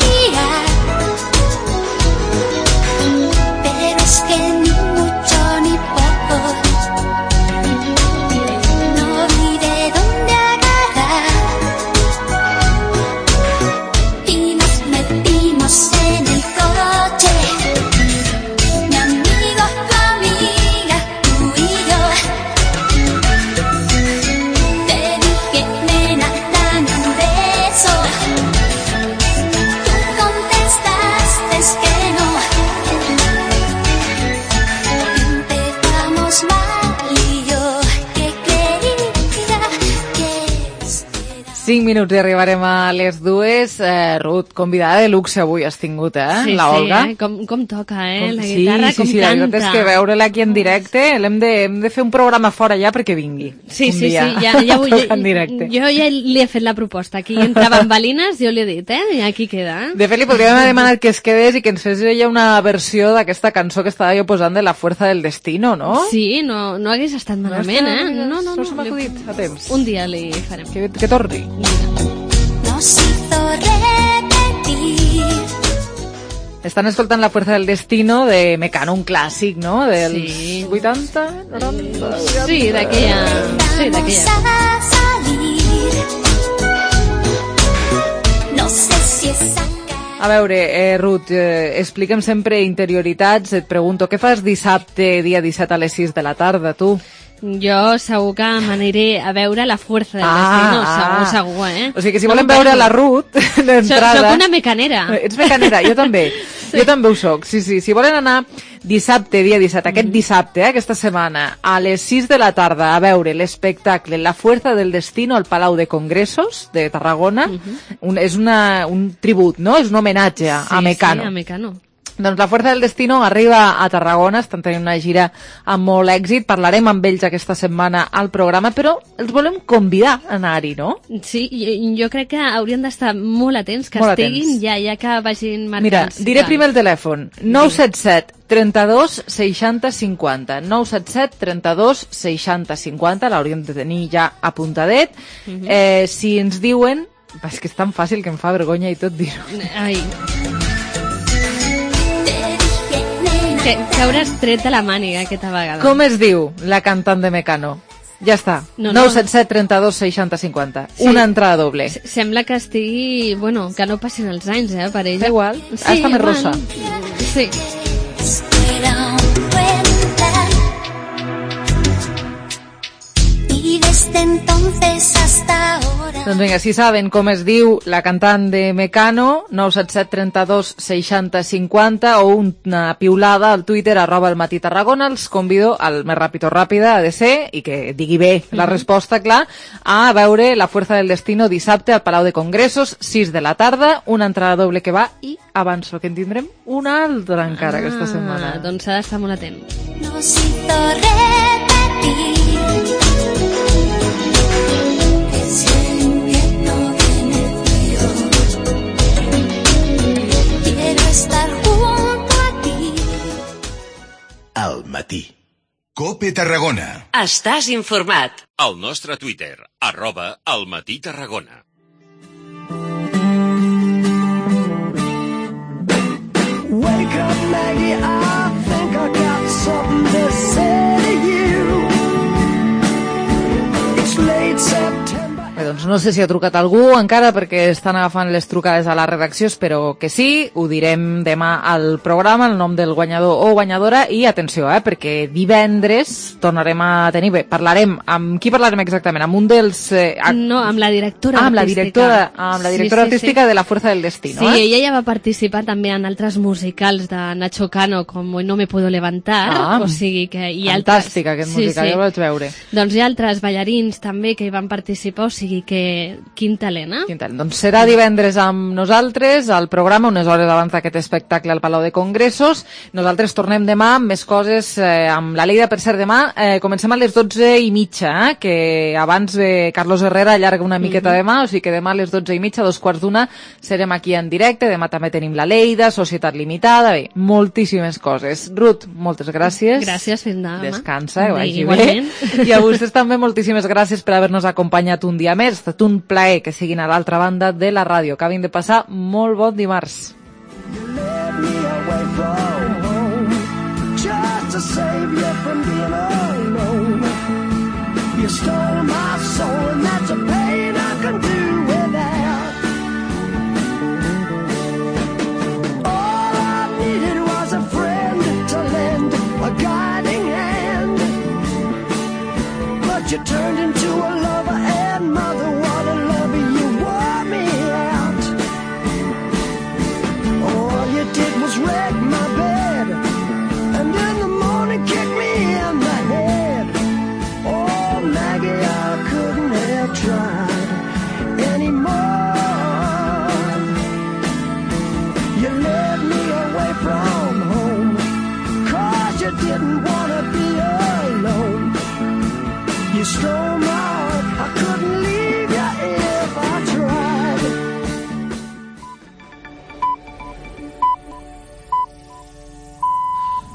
Cinc minuts i arribarem a les dues. Eh, Ruth, convidada de luxe avui has tingut, eh? Sí, la Olga. sí, eh? Com, com toca, eh? Com, La sí, guitarra, sí, com sí, canta. la veritat és que veure-la aquí en directe, l'hem de, hem de fer un programa fora ja perquè vingui. Sí, un sí, dia. sí, ja, ja vull, en directe. jo ja li he fet la proposta. Aquí entre bambalines jo li he dit, eh? I aquí queda. De fet, li podríem haver demanat que es quedés i que ens fes ella una versió d'aquesta cançó que estava jo posant de La fuerza del destino, no? Sí, no, no hagués estat malament, està- eh? No, no, no se m'ha li- acudit a temps. Un dia li farem. Que, que torni. Nos hizo repetir. Estan escoltant La fuerza del destino de Mecano, un clàssic, no? Dels Sí. vuitanta, noranta... Sí, d'aquella... Sí, d'aquella. A salir. No sé si es A veure, eh, Ruth, eh, explica'm sempre interioritats. Et pregunto, què fas dissabte, dia disset a les sis de la tarda, tu? Jo segur que m'aniré a veure La fuerza del Ah, destino, ah. segur, segur, eh? O sigui que si No volen m'ho veure perdo. la Ruth d'entrada... Soc una mecanera. Ets mecanera, jo també. Sí. Jo també ho soc, sí, sí. Si volen anar dissabte, dia disset, aquest dissabte, eh, aquesta setmana, a les sis de la tarda, a veure l'espectacle La fuerza del destino al Palau de Congressos de Tarragona, uh -huh. un, és una, un tribut, no? És un homenatge a, Sí, a Mecano. Sí, a Mecano. Doncs La fuerza del destino arriba a Tarragona, estan tenint una gira amb molt èxit, parlarem amb ells aquesta setmana al programa, però els volem convidar a anar-hi, no? Sí, jo, jo crec que haurien d'estar molt atents, que Molt estiguin atents. ja, ja que vagin marcant. Mira, diré primer el telèfon, nou set set, trenta-dos, seixanta, cinquanta, nou set set, trenta-dos, seixanta, cinquanta, l'hauríem de tenir ja apuntadet. Uh -huh. eh, si ens diuen, és que és tan fàcil que em fa vergonya i tot dir-ho. Ai. Que, que hauràs tret de la màniga aquesta vegada. Com es diu la cantant de Mecano? Ja està, No, no. nou set set, trenta-dos, seixanta, cinquanta. Sí. Una entrada doble. S- Sembla que estigui... Bueno, que no passin els anys, eh, per ella. Igual. Ah, està més rosa. Sí. era un buen plan. Y desde entonces hasta ahora. Doncs vinga, si saben com es diu la cantant de Mecano, nou set set, trenta-dos, seixanta, cinquanta, o una piulada al Twitter, arroba el matí Tarragona, els convido al més ràpid o ràpida ha de ser, i que digui bé la Mhm. resposta, clar, a veure La fuerza del destino dissabte al Palau de Congressos, sis de la tarda, una entrada doble que va, i avanço que en tindrem una altra encara aquesta setmana. Ah, doncs s'ha d'estar molt atent. Nos hizo repetir. Ese invierno venecio. Quiero estar junto a ti. Al matí. Cope Tarragona. Estàs informat. Al nostre Twitter, arroba al matí Tarragona. Wake up, Maggie, I think I got something to say to you. It's late September. Bé, doncs no sé si ha trucat algú encara perquè estan agafant les trucades a la redacció, espero que sí, ho direm demà al programa, el nom del guanyador o guanyadora, i atenció, eh, perquè divendres tornarem a tenir, bé, parlarem, amb qui parlarem exactament? Amb un dels... Eh, ac- No, amb la directora ah, amb la artística. directora, amb la directora Sí, sí, artística sí. de La fuerza del destino, Sí, eh? ella ja va participar també en altres musicals de Nacho Cano, com Hoy no me puedo levantar, Ah, o sigui que... I fantàstic, altres... aquest musical, jo el vaig veure. Doncs hi ha altres ballarins també que hi van participar, o sigui que quin talent, eh? Quin talent. Doncs serà divendres amb nosaltres al programa, unes hores abans d'aquest espectacle al Palau de Congressos. Nosaltres tornem demà amb més coses eh, amb la Leida. Per cert, demà eh, comencem a les dotze i mitja, eh, que abans eh, Carlos Herrera allarga una miqueta Mhm. demà, o sigui que demà a les dotze i mitja, dos quarts d'una, serem aquí en directe. Demà també tenim la Leida, Societat Limitada, bé, moltíssimes coses. Ruth, moltes gràcies. Gràcies, fins demà. Descansa, que vagi Igualment. bé. I a vostès també moltíssimes gràcies per haver-nos acompanyat un dia més. Ha estat un plaer que siguin a l'altra banda de la ràdio. Acabin de passar molt bon dimarts. Just to save you from being alone. You stole my soul, and that's a pain I can do without. All I needed was a friend to lend a guiding hand. But you turned into a lover and mother. What a lover, you wore me out. All you did was wreck my bed. stole